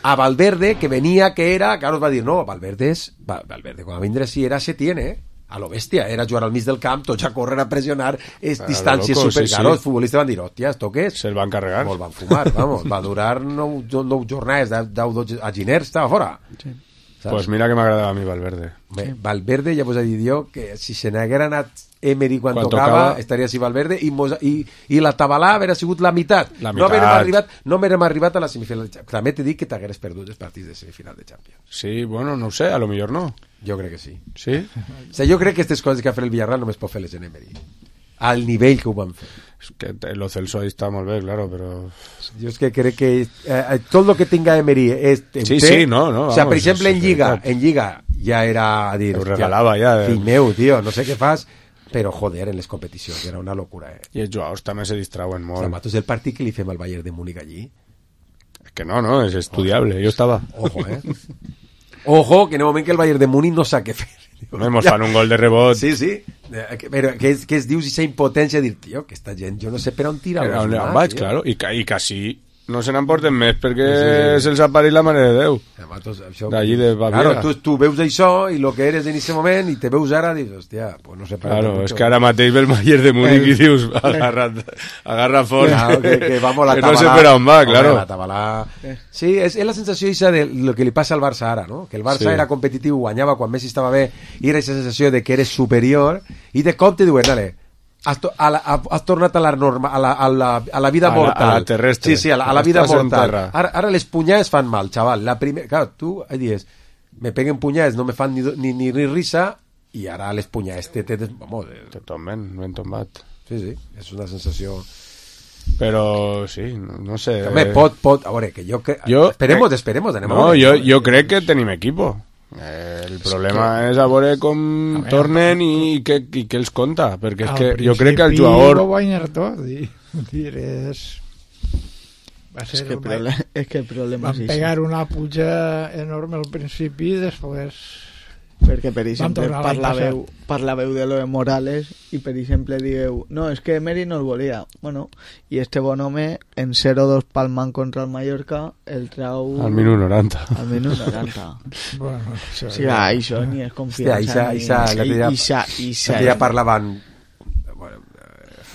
a Valverde, que venia, que era... Claro, va dir, no, Valverde és... Valverde, quan va vindre sí era Setién, eh? A lo bèstia, era jugar al mig del camp, tots a córrer, a pressionar, és distàncies loco, super... Sí, claro, sí. Els futbolistes van dir, hòstia, esto què és? Se'l van carregar. Molt van fumar, vamos, va durar nou, nou jornades, deu, deu, a Giner estava fora. Sí. Pues mira que m'agradava a mi Valverde. Bé, Valverde, ja vos he dit jo, que si se n'haguera anat Emery quan, quan tocava, tocava, estaria així Valverde, i, mos, i, i la Tabalà haguera sigut la meitat. La no haguérem arribat, no haguérem arribat a la semifinal de Champions. També t'he dit que t'hagueres perdut els partits de semifinal de Champions. Sí, bueno, no ho sé, a lo millor no. Jo crec que sí. Sí? O sigui, jo crec que aquestes coses que ha fet el Villarreal només pot fer-les en Emery. Al nivell que ho van fer. Es que lo Celso ahí está molt bé, claro, però... Jo és que crec que eh, tot el que tinga Emery és... Sí, sí, no, no. O sea, per exemple, en Lliga, en Lliga ja era a dir... Ho regalava ja. ja fill meu, tio, no sé què fas, però joder, en les competicions era una locura, eh? I els jugadors també se distrauen molt. O sea, matos el partit que li fem al Bayern de Múnich allí. Es que no, no, és estudiable, jo estava. Ojo, eh? Ojo, que en el moment que el Bayern de Múnich no sap què fer. No, hemos fan un gol de rebot. Sí, sí. Però que es, que es dius aquesta impotència de dir, tio, que esta gent, jo no sé per on tira. On vaig, claro. I, i quasi no se n'emporten més perquè sí, sí. Se'ls apareix la mare de Déu. D'allí de Baviera. Claro, tu, tu veus això i el que eres en aquest moment i te veus ara i dius, hòstia, pues no sé per claro, és que ara mateix ve el Bayern de Múnich el... i dius, agarra, agarra fort. Claro, que, que vamos la que tabalà. No sé per on va, claro. La tabalà. Sí, és, és la sensació isa de lo que li passa al Barça ara, no? Que el Barça sí. Era competitiu, guanyava quan Messi estava bé i era aquesta sensació de que eres superior i de cop te diuen, dale, Has, to, a la, has tornat a la, norma, a la, a la, a la vida a mortal. La, a la terrestre. Sí, sí, a la, a la vida mortal. Ara, ara les punyades fan mal, xaval. La primer, claro, tu dius, me peguen punyades, no me fan ni, ni, ni, ni risa, i ara les punyades te... te, te vamos, te tomben, ben tombat. Sí, sí, és una sensació... Però sí, no, no sé... Home, pot, pot, a veure, que jo... Que, jo esperemos, eh, esperemos, anem no, a veure. Jo, jo crec que tenim equipo. Eh, el problema és, que... és a veure com a veure, tornen i què i què els conta, perquè és que jo crec que el jugador va guanyar tot i, dir, és... va ser és que, una... problema, és que el problema van és pegar una puja enorme al principi i després perquè per exemple parlaveu, parlaveu de lo de Morales i per exemple digueu no, és que Emery no el volia bueno, i este bon home en cero dos palmant contra el Mallorca el trau al minut noranta al minut noranta bueno, això, sí, ja, això ni és confiança Hòstia, Isa, ni... Isa, Isa, ja parlaven bueno,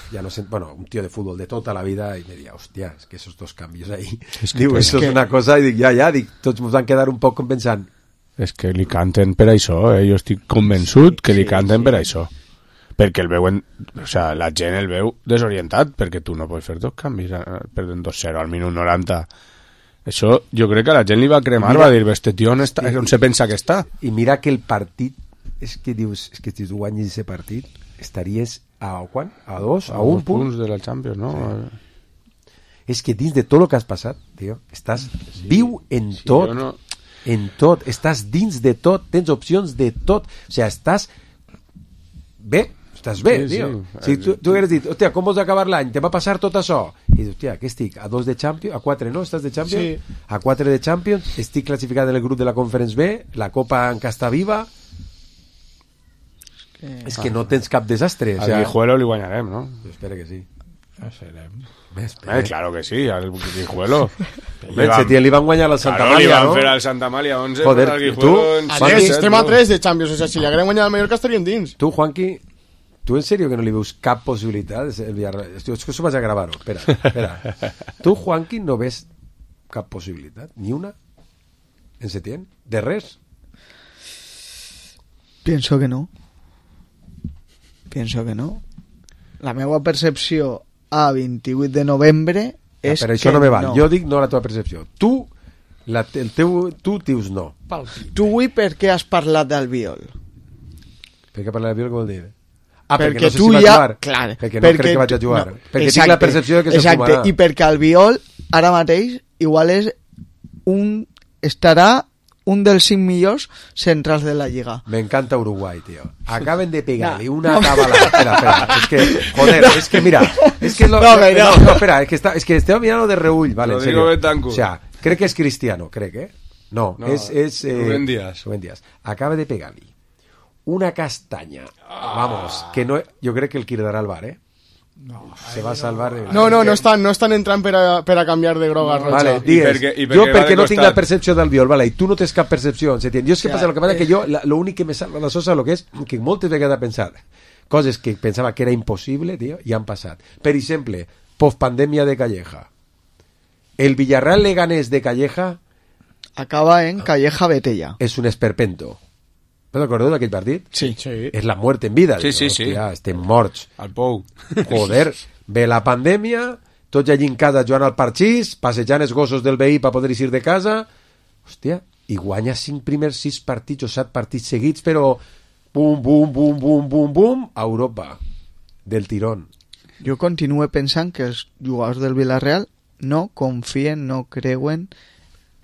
ja no sé, bueno, un tío de fútbol de tota la vida i me deia, hòstia, és que esos dos canvis ahí es que, diu, eso es que... una cosa i dic, ja, ja, dic, tots ens van quedar un poc pensant és que li canten per això, eh? Jo estic convençut que li canten sí, sí. Per això. Perquè el veuen, o sea, la gent el veu desorientat, perquè tu no pots fer dos canvis, perdent dos zero al minut noranta. Això jo crec que a la gent li va cremar, mira, va dir, este tio on, està, on se pensa que està. I mira que el partit, és que dius, és que si tu guanyis aquest partit, estaries a quan? A dos? A, a un punt? punts de la Champions, no? Sí. És que dins de tot el que has passat, tio, estàs sí. viu en sí, tot... Jo no... en tot, estàs dins de tot, tens opcions de tot, o sigui, estàs bé, estàs bé, sí, tio. Sí. Si tu, tu hagués dit, hòstia, com vols acabar l'any? Te va passar tot això? I dius, hòstia, què estic? A dos de Champions? A quatre, no? Estàs de Champions? Sí. A quatre de Champions? Estic classificat en el grup de la Conference B? La Copa encara està viva? És que, és que no tens cap desastre. Al Guijuelo li guanyarem, no? Jo espero que sí. No serem. Eh, claro que sí, al Guijuelo. Bé, Setién li van guanyar al Santa claro, Malia, no? Li van fer al Santa Malia onze. Joder, tu... Juanqui, estem a tres de Champions, o sea, si li haguem guanyat al Mallorca estaríem dins. Tu, Juanqui, tu en serio que no li veus cap possibilitat? El Villarreal... És que això vaig a gravar-ho, espera, espera. Tu, Juanqui, no ves cap possibilitat? Ni una? En Setién? De res? Pienso que no. Pienso que no. La meva percepció a vint-i-vuit de novembre és ah, però això que no me val. No. Jo dic no la teva percepció. Tu, la, el teu, tu dius no. Tu avui per què has parlat d'Albiol? Per què parlar d'Albiol, què vol dir? Ah, perquè, perquè no sé tu si va ja... jugar. Clar, perquè no crec que vaig a jugar. No, perquè exacte, tinc la percepció de que se exacte, fumarà. I perquè Albiol ara mateix igual és un... estarà un dels cinc millors centrals de la Lliga. Me encanta Uruguay, tío. Acaben de pegarle una cabalada. Espera, espera. Es que, joder, es que mira. Es que lo, no, no, no. no, espera, es que, está, es que estoy mirando de reúll, vale, lo en serio. digo Betancourt. O sea, cree que es Cristiano, cree que. No, no es. es eh, Rubén Díaz. Rubén Díaz. Acaba de pegarle una castaña. Ah. Vamos, que no. Yo creo que el quedará al bar, ¿eh? No, se va a salvar de... No, no, no estan, no estan entrant per a, per a canviar de groga a roja. Vale, digues, perquè, jo perquè no tinc la percepció d'Albiol, vale, i tu no tens cap percepció, s'entén? Jo és que passa, el que passa que jo, l'únic que me salva la sosa, lo que és, que moltes vegades he pensat coses que pensava que era impossible, tio, i han passat. Per exemple, postpandèmia de Calleja. El Villarreal Leganés de Calleja acaba en Calleja Betella. És un esperpento. ¿Te acuerdas d'aquell partit? Sí. sí. És la muerte en vida. Sí, sí, sí. Hòstia, estem morts. Al pou. Joder, ve la pandèmia, tots allí en casa jugant al parxís, passejant els gossos del veí per poder ir de casa. Hòstia, i guanya cinc primers sis partits o set partits seguits, però bum, bum, bum, bum, bum, bum, a Europa. Del tirón. Jo continuo pensant que els jugadors del Villarreal no confien, no creuen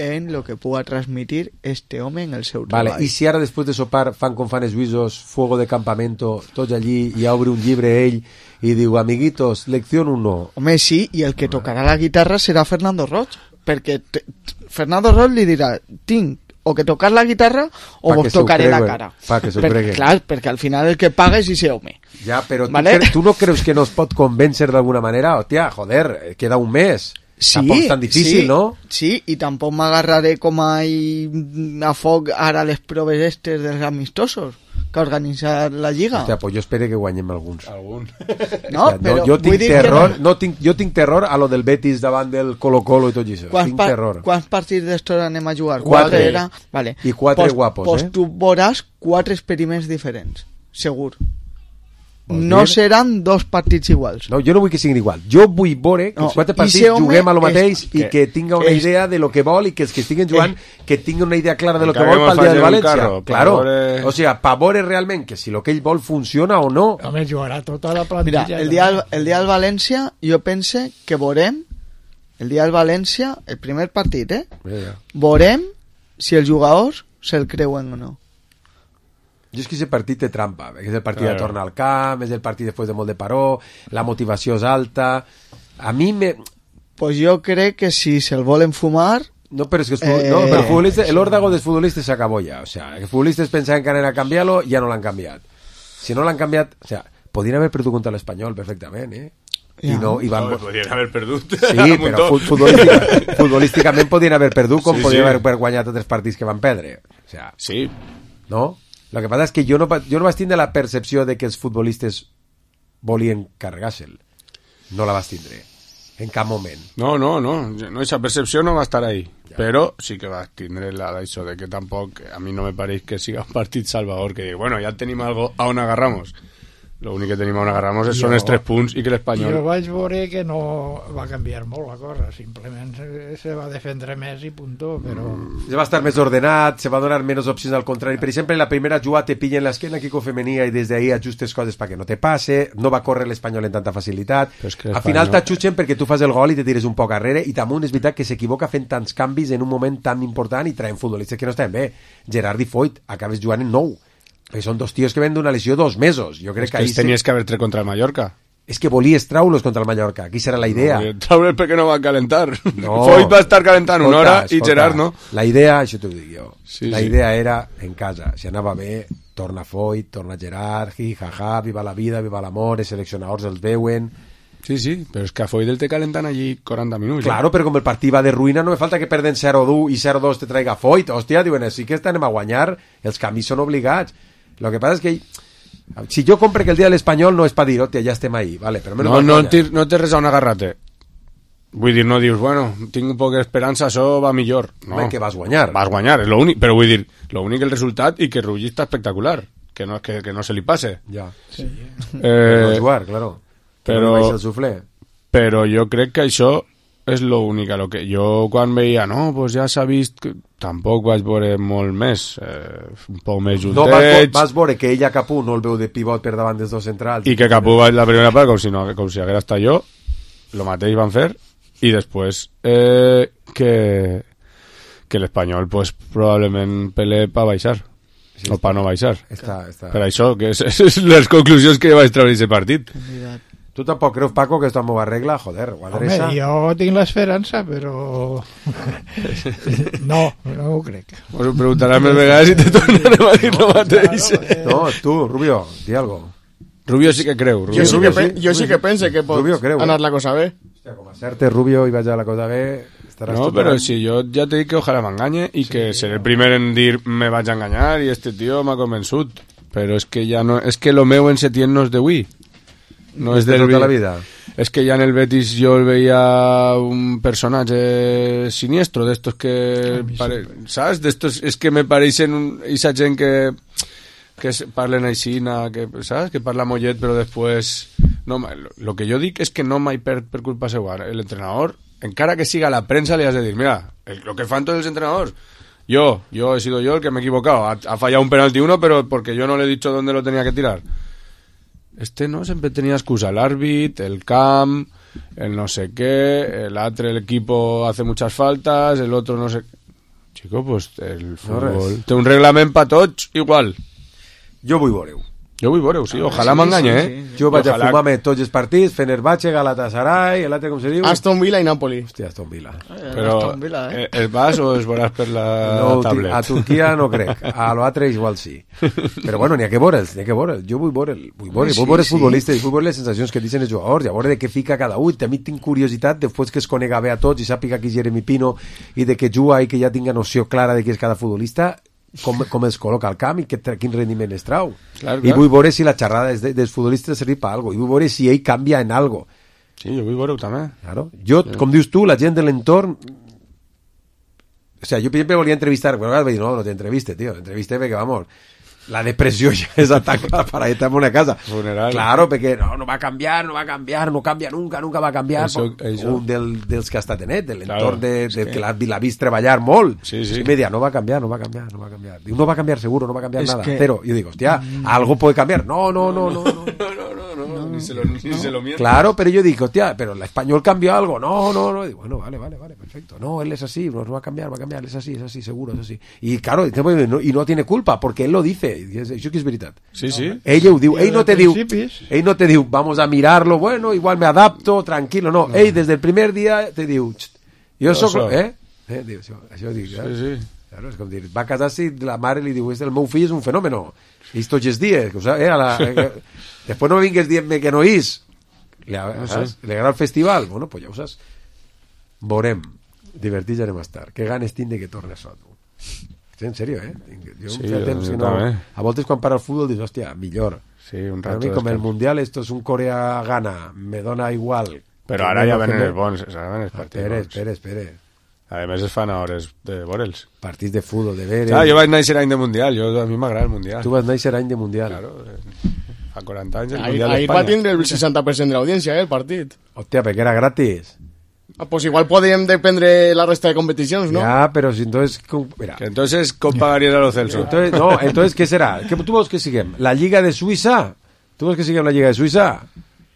en lo que pueda transmitir este home en el seu treball. Vale, i si ara després de sopar fan com fan els suïssos, fuego de campamento, tots allí, i obre un llibre ell i diu, amiguitos, lección uno. Home, sí, i el que tocarà la guitarra serà Fernando Roig, perquè te, Fernando Roig li dirà, tinc o que tocar la guitarra o vos tocaré la cara. Pa que s'ho per, creguen. Clar, perquè al final el que paga és ese home. Ja, però ¿vale? tu, cre tu no creus que no es pot convèncer d'alguna manera? Hòstia, joder, queda un mes. Sí, tampoc és tan difícil, sí, no? Sí, i tampoc m'agarraré com a, a foc ara les proves estes dels amistosos que ha organitzat la Lliga. Hòstia, pues jo espero que guanyem alguns. Algun. No, o sea, però no, jo tinc vull dir terror, que no. no tinc, jo tinc terror a lo del Betis davant del Colo-Colo i tot això. Quants, tinc terror. quants partits d'estos anem a jugar? Quatre. Era? Vale. I quatre pues, guapos, pues eh? tu veuràs quatre experiments diferents, segur. Vols No dir? seran dos partits iguals. No, jo no vull que siguin igual. Jo vull veure que No, els quatre i partits ese home juguem a lo mateix és- i que tinga una és- idea de lo que vol i que els que estiguen jugant que tinguin una idea clara de lo que Acabemos vol pel dia de fallando un València. carro, Claro. Pavore- O sea, Pavore realment que si lo que ell vol funciona o no. Home, jugarà tota la plantilla. Mira, el dia, del- el dia del València jo pense que veurem el dia del València, el primer partit, eh? Mira. Veurem si els jugadors se'l creuen o no. Jo és que aquest partit té trampa, perquè és el partit Claro. de tornar al camp, és el partit després de molt de paró, la motivació és alta. A mi me... Pues jo crec que si se'l volen fumar... No, però és que els futbol... Eh, no, però el futbolista, el órdago dels futbolistes s'acabó ja. O sea, els futbolistes pensaven que anaven a canviar-lo, ja no l'han canviat. Si no l'han canviat... O sea, podien haver perdut contra l'Espanyol perfectament, eh? I no, i van... No, podien haver perdut. Sí, però fu- futbolística, futbolísticament podien haver perdut com Sí, podien sí. haver guanyat altres partits que van perdre. O sea, Sí. no? Lo que passa és que jo no, va- jo no vaig tindre la percepció de que els futbolistes volien carregar-se'l. No la vas tindre. En cap moment. No, no, no. no esa percepció no va estar ahí. Ja. Però sí que va tindre la d'això de que tampoc, a mi no me pareix que siga un partit salvador, que dic, bueno, ja tenim algo a on agarramos. L'únic que tenim on agarrar-nos són els tres punts i que l'Espanyol... Jo vaig veure que no va canviar molt la cosa, simplement se, se va defendre més i puntó, però... Se va estar més ordenat, se va donar menys opcions al contrari. Per exemple, en la primera jugada te pillen l'esquena equipo femenina i des d'ahí ajustes coses perquè no te passe, no va córrer l'Espanyol en tanta facilitat. Al final t'ajutgen perquè tu fas el gol i te tires un poc arrere i també és veritat que s'equivoca fent tants canvis en un moment tan important i traient futbolistes que no estan bé. Gerard i Foyt, acabes jugant en nou. Perquè són dos tios que ven d'una lesió dos mesos. Jo crec és que, que els tenies se... que haver tret contra el Mallorca. És que volies traure'ls contra el Mallorca. Aquí serà la idea. No, traure'ls perquè no van calentar. No. Foyt va estar calentant una hora i Gerard no. La idea, això t'ho dic jo, sí, la sí. idea era en casa. Si anava bé, torna Foyt, torna Gerard, hi, ha, ha, viva la vida, viva l'amor, els seleccionadors els veuen... Sí, sí, però és que a Foyt el té calentant allí quaranta minuts. Claro, eh? Però com el partit va de ruïna, no me falta que perden zero dos i zero dos te traiga Foyt. Hòstia, diuen, sí que estem a guanyar, els canvis són obligats. Lo que pasa es que si jo compre que el dia de l'Espanyol no és per dir, hòstia, ja estem ahí, vale, però no, no, no, no té res a un agarrate. Vull dir, no dius, bueno, tinc un poc d'esperança, això va millor. No, home, que vas guanyar. Vas guanyar, és l'únic, però vull dir, l'únic el resultat i que Rulli està espectacular, que no, que, que no se li passe. Ja, sí. Eh, no jugar, claro. Però, no però jo crec que això és l'únic. Lo que jo quan veia, no, pues ja s'ha vist... Que... Tampoc vaig veure molt més, eh, un poc més juntets. No, vas, vas veure que ella Capú no el veu de pivot per davant dels dos centrals. I que Capú va la primera part com si, no, com si haguera estat jo, el mateix van fer, i després eh, que, que l'Espanyol pues, probablement pele per baixar, sí, o per no baixar. Està, està. Per això, que és, és les conclusions que vaig treure aquest partit. Tu tampoc creus, Paco, que esto m'ho arregla? Joder, ho adreça. Home, jo tinc l'esperança, però... no, no ho crec. Us ho preguntaràs més vegades i te tornarem a dir lo mateix. No, tu, Rubio, di algo. Rubio sí que creu. Rubio. Jo, sí que, sí. jo sí que pense que pot creu, anar la cosa bé. Hòstia, com a certe, Rubio, i vaig a la cosa bé... No, però si jo ja te dic que ojalà m'enganye i sí, que seré el primer en dir me vaig a enganyar i este tio m'ha convençut. Però és que ja no... És que lo meu en Setién no és d'avui. No és de del tota la vida. És que ja en el Betis jo el veia un personatge siniestro d'estos que pare... saps? D'estos és que me pareixen un... esa gent que que parlen així, que saps? Que parla mollet però després no, lo que jo dic és que no mai perd per culpa seva. L'entrenador, encara que siga la premsa, li has de dir, mira, el, lo que fan tots els entrenadors, yo, yo he sido yo el que me he equivocado, ha, ha fallado un penalti uno pero porque yo no le he dicho dónde lo tenía que tirar. Este no siempre tenía excusa, el árbitro, el camp, el no sé qué, el altre, el equipo hace muchas faltas, el otro no sé... Chico, pues el fútbol... No té un reglament pa tots igual. Jo vull veure-ho. Jo vull veure-ho, sí, ojalà sí, m'enganye, sí, sí, eh? Jo vaig ojalà... a fumar-me tots els partits, Fenerbahce, Galatasaray, l'altre com se diu? Aston Villa i Napoli. Hòstia, Aston Villa. Eh, Però Aston Villa, eh? el vas o es veuràs per la no, tablet? A Turquia no crec, a l'altre igual sí. Però bueno, n'hi ha que veure'ls, n'hi ha que veure'ls. Jo vull veure'l, vull veure, sí, vull veure els sí. futbolistes, vull veure les sensacions que dicen els jugadors, i a veure de què fica cada un. També tinc curiositat, després que es conega bé a tots i sàpiga qui és Jeremy Pino i de què juga i que ja tinga noció clara de qui és cada futbolista, com, com els col·loca al camp i que, quin rendiment es trau. Clar, clar. I vull veure si la xerrada de, dels futbolistes servir per algo, i vull veure si ell canvia en algo. Sí, jo vull veure-ho també. Claro. Jo, sí. Com dius tu, la gent de l'entorn... O sea, jo per exemple volia entrevistar, bueno, vaig dir, no, no t'entreviste, tío, entreviste perquè, vamos, la depressió ja és atacada para estar en una casa. Funeral. Claro, perquè no, no va a canviar, no va a canviar, no canvia nunca, nunca va a canviar. Eso, eso. Un del, dels que ha estat en de l'entorn claro, de, de, que, que l'ha la vist treballar molt. Sí, sí. I me deia, no va a canviar, no va a canviar, no va a canviar. Diu, no va a canviar seguro, no va a cambiar es nada. Que... Pero, yo digo, hostia, mm. algo puede cambiar. No, no, no, no. no. no, no, no, no, no, ni se lo, ni no. se lo miente. Claro, pero yo digo, hostia, pero el español cambió algo. No, no, no. Y digo, bueno, vale, vale, vale, perfecto. No, él es así, no, no va a cambiar, va a cambiar, es así, es así, seguro, es así. Y claro, y no tiene culpa, porque él lo dice. Eso que es verdad. Sí, sí. Ella ho diu, ell no te diu, ell no te diu, vamos a mirarlo, bueno, igual me adapto, tranquilo, no, no. Ell des del primer dia te diu, jo soc, so. eh? eh diu, això, això dic, sí, sí. Claro, és com dir, va casar-se i la mare li diu, el meu fill és un fenòmeno, i tots els dies, eh, a la, eh, després no me vingues dient-me que no és, le, no sé. le agrada el festival, bueno, pues ja ho saps, veurem, divertits anem a estar, que ganes tinc de que torni a Soto. En serio, eh? Jo sí, jo temps que no... A voltes quan para el futbol dius, hòstia, millor. Sí, un rato. A mi com el Mundial, esto es un Corea-Ghana, me dona igual. Però ara ja venen els bons, ara venen els partits espere, bons. Espera, espera. A més es fan a hores de veure'ls. Partits de futbol, de veure... Ah, jo vaig néixer any de Mundial, jo, a mi m'agrada el Mundial. Tu vas néixer any de Mundial. Claro. Fa quaranta anys el Ahir, Mundial ahir d'Espanya. va tindre el seixanta per cent de l'audiència, eh, el partit. Hòstia, perquè era gratis. Ah, pues igual podríem dependre la resta de competicions, ¿no? Ya, pero si entonces... Mira. Que entonces, ¿cómo pagarías a los Celso? Entonces, no, entonces, ¿qué será? ¿Qué, ¿Tú vols que siguem? ¿La Lliga de Suïssa? ¿Tú vols que siguem la Lliga de Suïssa?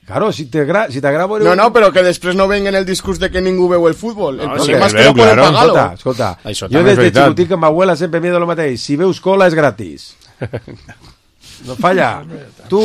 Claro, si t'agrada... Si t'agrada... No, no, però que després no venguen el discurs de que ningú veu el futbol. El No, problema sí, és que no veu, poden claro. pagar-lo. Escolta, escolta. Això Jo també és des de veritat. xicotic amb m'abuela sempre m'he dit el mateix. Si veus cola és gratis. No falla. Tu,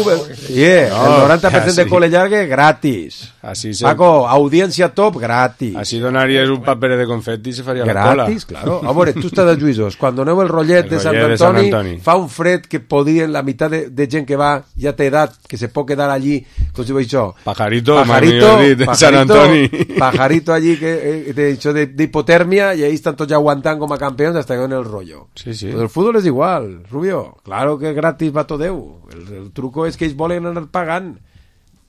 yeah, No, el noranta per cent de así. cole llargue, gratis. Así se... Paco, audiència top, gratis. Así donaries un paper de confeti i se faria la cola. Gratis, claro. A veure, tu estàs a Lluïsos. Quan doneu el rotllet El de Sant rotllet de Sant Antoni, Antoni. fa un fred que podrien, la meitat de, de gent que va ja té edat, que se pot quedar allí, com si ho això. Pajarito, Pajarito, mami, de Sant Antoni. pajarito allí, que eh, de, això de, de hipotermia, y ahí están todos ya aguantando como campeones hasta que en el rollo. Sí, sí. Pues el fútbol es igual, Rubio. Claro que gratis va tot Déu. El, el truco és que ells volen anar pagant.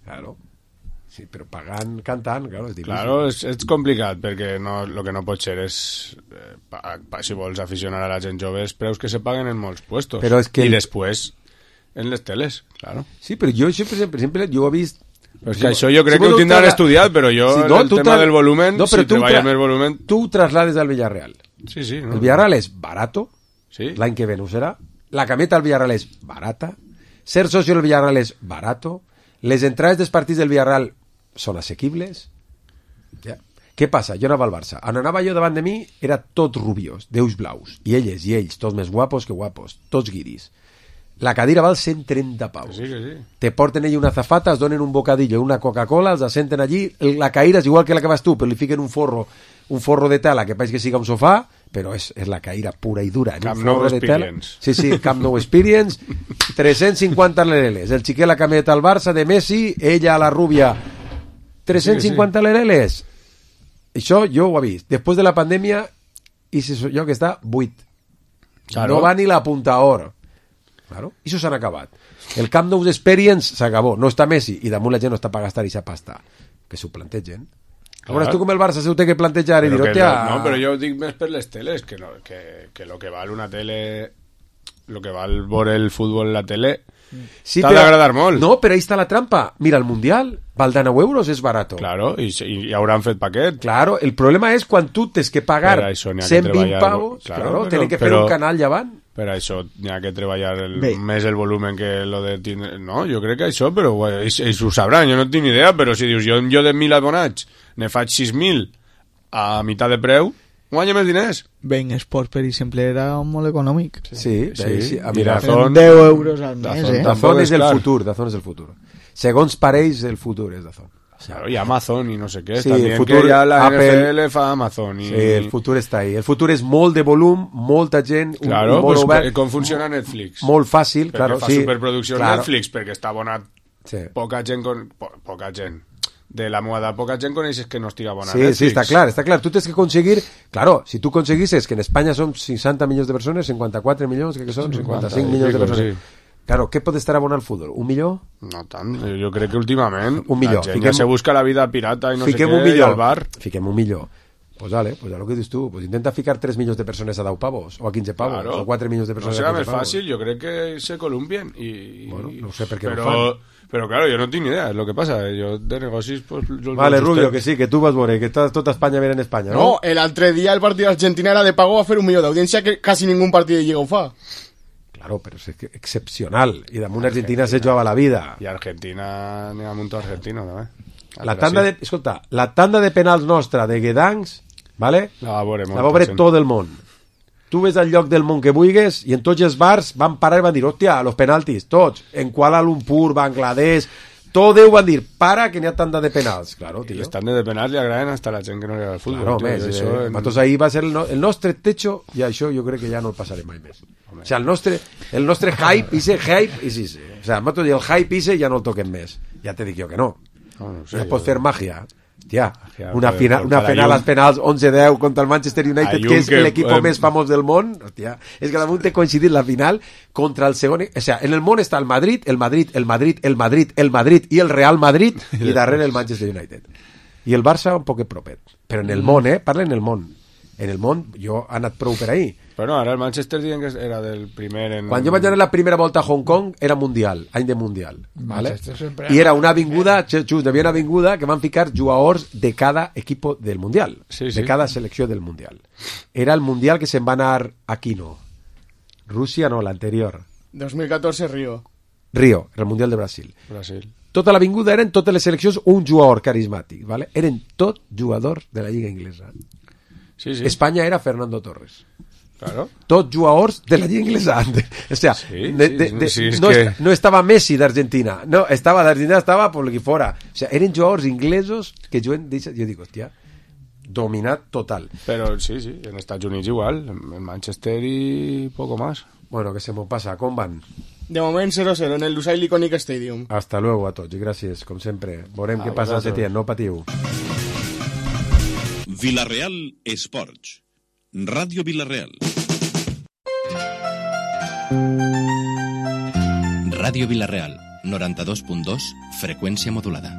Claro. Sí, però pagant, cantant, claro, és difícil. Claro, és, és complicat, perquè no, lo que no pot ser és, eh, pa, pa, si vols aficionar a la gent jove, és preus que se paguen en molts puestos. Però és que I el- després, en les teles, claro. Sí, però jo sempre, sempre, sempre jo ho he vist... Però és que això jo crec que ho tindran estudiat, però jo Sí, no, el tu tema tra- del volumen, no, però si tu treballes tra- més volumen... Tu traslades al Villarreal. Sí, sí. No? El Villarreal és barato, Sí. l'any que ve no ho serà. La cameta al Villarreal és barata. Ser socio del Villarreal és barato. Les entrades dels partits del Villarreal són assequibles. Ja. Què passa? Jo anava al Barça. On anava jo davant de mi era tot rubios, d'ulls blaus. I elles i ells, tots més guapos que guapos. Tots guiris. La cadira val cent trenta paus. Sí, que sí. Te porten allí una azafata, es donen un bocadillo, una Coca-Cola, els assenten allí, la caïra és igual que la que vas tu, però li fiquen un forro, un forro de tela que pareix que siga un sofà, però és, és la caïra pura i dura. Camp un Nou forro de tela. Experience. Sí, sí, Camp Nou Experience, tres-cents cinquanta lereles. El xiquet la camioneta al Barça de Messi, ella a la rubia, tres-cents cinquanta lereles. Això jo ho he vist. Després de la pandèmia, i si jo que està, buit. Claro. No va ni la punta or. Claro, i això s'han acabat. El Camp Nou Experience s'acabó. No està Messi i damunt la gent no està per gastar ixa pasta. Que s'ho plantegen. Clar. Veuràs tu com el Barça s'ho té que plantejar i dir, Però que hòstia... no, no, però jo ho dic més per les teles, que, no, que, que lo que val una tele, lo que val veure el futbol en la tele, Sí, t'ha però- d'agradar molt. No, però ahí està la trampa. Mira, el Mundial val de nou euros, és barato. Claro, i, i, i hauran fet paquet. Claro, el problema és quan tu tens que pagar Per això n'hi ha que cent vint treballar, pavos, claro, claro, però- tenen que fer però- un canal llevant. Per això n'hi ha que treballar el, Bé. més el volumen que lo de... tindre- No, jo crec que això, però bueno, ells, ells ho sabran, jo no tinc ni idea, però si dius, jo, jo de mil abonats ne faig sis mil a meitat de preu, guanya més diners. Ben Sport, per exemple, era molt econòmic. Sí, Sí, sí, a i mirar. Dazón- deu euros al mes, Dazón eh? tampoc Dazón és el car. futur, Dazón és el futur. Segons pareix, el futur és Dazón. Claro, y Amazon y no sé qué. Sí, También el futur, que ya la Apple, N F L fa Amazon. Y... Sí, el futur està ahí. El futur és molt de volum, molta gent, un- Claro, un molt pues, obert, com funciona Netflix? molt fàcil, Perquè claro, fa sí. superproducció claro. Netflix, perquè està abonat Sí. poca gent con... Po, poca gent. De la moda, poca gent coneixes que no estigui abonat a Sí, Netflix. sí, está claro, está claro. Tú tienes que conseguir, claro, si tú conseguises que en España son sesenta millones de personas, cincuenta y cuatro millones, que son cincuenta y cinco millones de pico, personas. sí. Claro, què pot estar abonat al futbol? Un milió? No tant, jo crec que últimament Un milió. la gent Fiquem- ja se busca la vida pirata i no Fiquem sé un què, i milió. al bar. Fiquem un milió. Pues vale, pues a lo que dius tu, pues intenta ficar tres milions de persones a deu pavos, o a quinze pavos, Claro. o quatre milions de No persones serà a més quinze pavos. fàcil, jo crec que se columbien i... Bueno, no sé per què però, no ho fan. Però claro, jo no tinc ni idea, és lo que passa. Jo de negocis, pues... Jo Vale, els Rubio, sostens. que sí, que tu vas veure, que estàs tota Espanya mirant Espanya, no? No, el altre dia el partit d'Argentina era de pago a fer un milió d'audiència que quasi ningú partit de Lliga ho fa. Claro, però és que excepcional. I damunt Argentina se jugava la vida. I Argentina, n'hi ha mucho argentino, també. La tanda de, escolta, la tanda de penals nostra de Guedancs, ¿vale? La va veure La molta va veure gent. tot el món. Tu ves al lloc del món que vulguis i en tots els bars van parar i van dir, hòstia, los penaltis, tots. En Kuala Lumpur, Bangladesh, tot Déu van dir, para, que n'hi ha tanda de penals. Claro, I tio. les tandes de penals li agraden hasta la gent que no li agrada el futbol. Claro, tio, més, i eh, això en- nosaltres ahir va ser el, no, el nostre techo i això jo crec que ja no el passarem mai més. O sea, el nostre, el nostre hype, ese hype, és ese. O sea, nosaltres el hype ese ja no el toquem més. Ja te dic jo que no. No, no sé, Ja jo- pots fer màgia. Hòstia, Màgia, una, per- final, per- una per final Ayun. als penals onze a deu contra el Manchester United, Ayun que és que, l'equip eh, més famós del món. Hòstia, és que damunt té coincidit la final contra el segon... O sea, en el món està el Madrid, el Madrid, el Madrid, el Madrid, el Madrid i el Real Madrid, i darrere el Manchester United. I el Barça un poquet propet. Però en el món, eh? Parla en el món. En el món, jo he anat prou per ahir. Però no, ara el Manchester diuen que era del primer en... Quan jo vaig anar la primera volta a Hong Kong era mundial, any de mundial, vale? sempre- I era una avinguda, just hi havia una avinguda que van ficar jugadors de cada equipo del mundial, Sí, sí. de cada selecció del mundial. Era el mundial que se'n va anar aquí no, Rússia no, l'anterior, dos mil catorze Río. Río, el mundial de Brasil. Brasil. Tota l'avinguda eren totes les seleccions un jugador carismàtic, vale? Eren tot jugadors de la lliga inglesa. Sí, sí. Espanya era Fernando Torres. Claro. Tots jugadors de la lliga inglesa. O sea, Sí, de, sí, de, de, sí, es no, que- est no estava Messi d'Argentina, no, estava d'Argentina, estava por aquí fora. O sea, eren jugadors inglesos que juguen, jo dic, hòstia, dominat total. Pero sí, sí, en Estados Unidos igual, en Manchester y poco más. Bueno, que se m'ho passa, com van? De moment cero cero en el Lusail Iconic Stadium. Hasta luego a tots i gràcies, com sempre. Veurem A què passa a vosaltres. Setién, no patiu. Vilareal Esports. Ràdio Vilareal. Ràdio Vilareal, noranta-dos punt dos, freqüència modulada.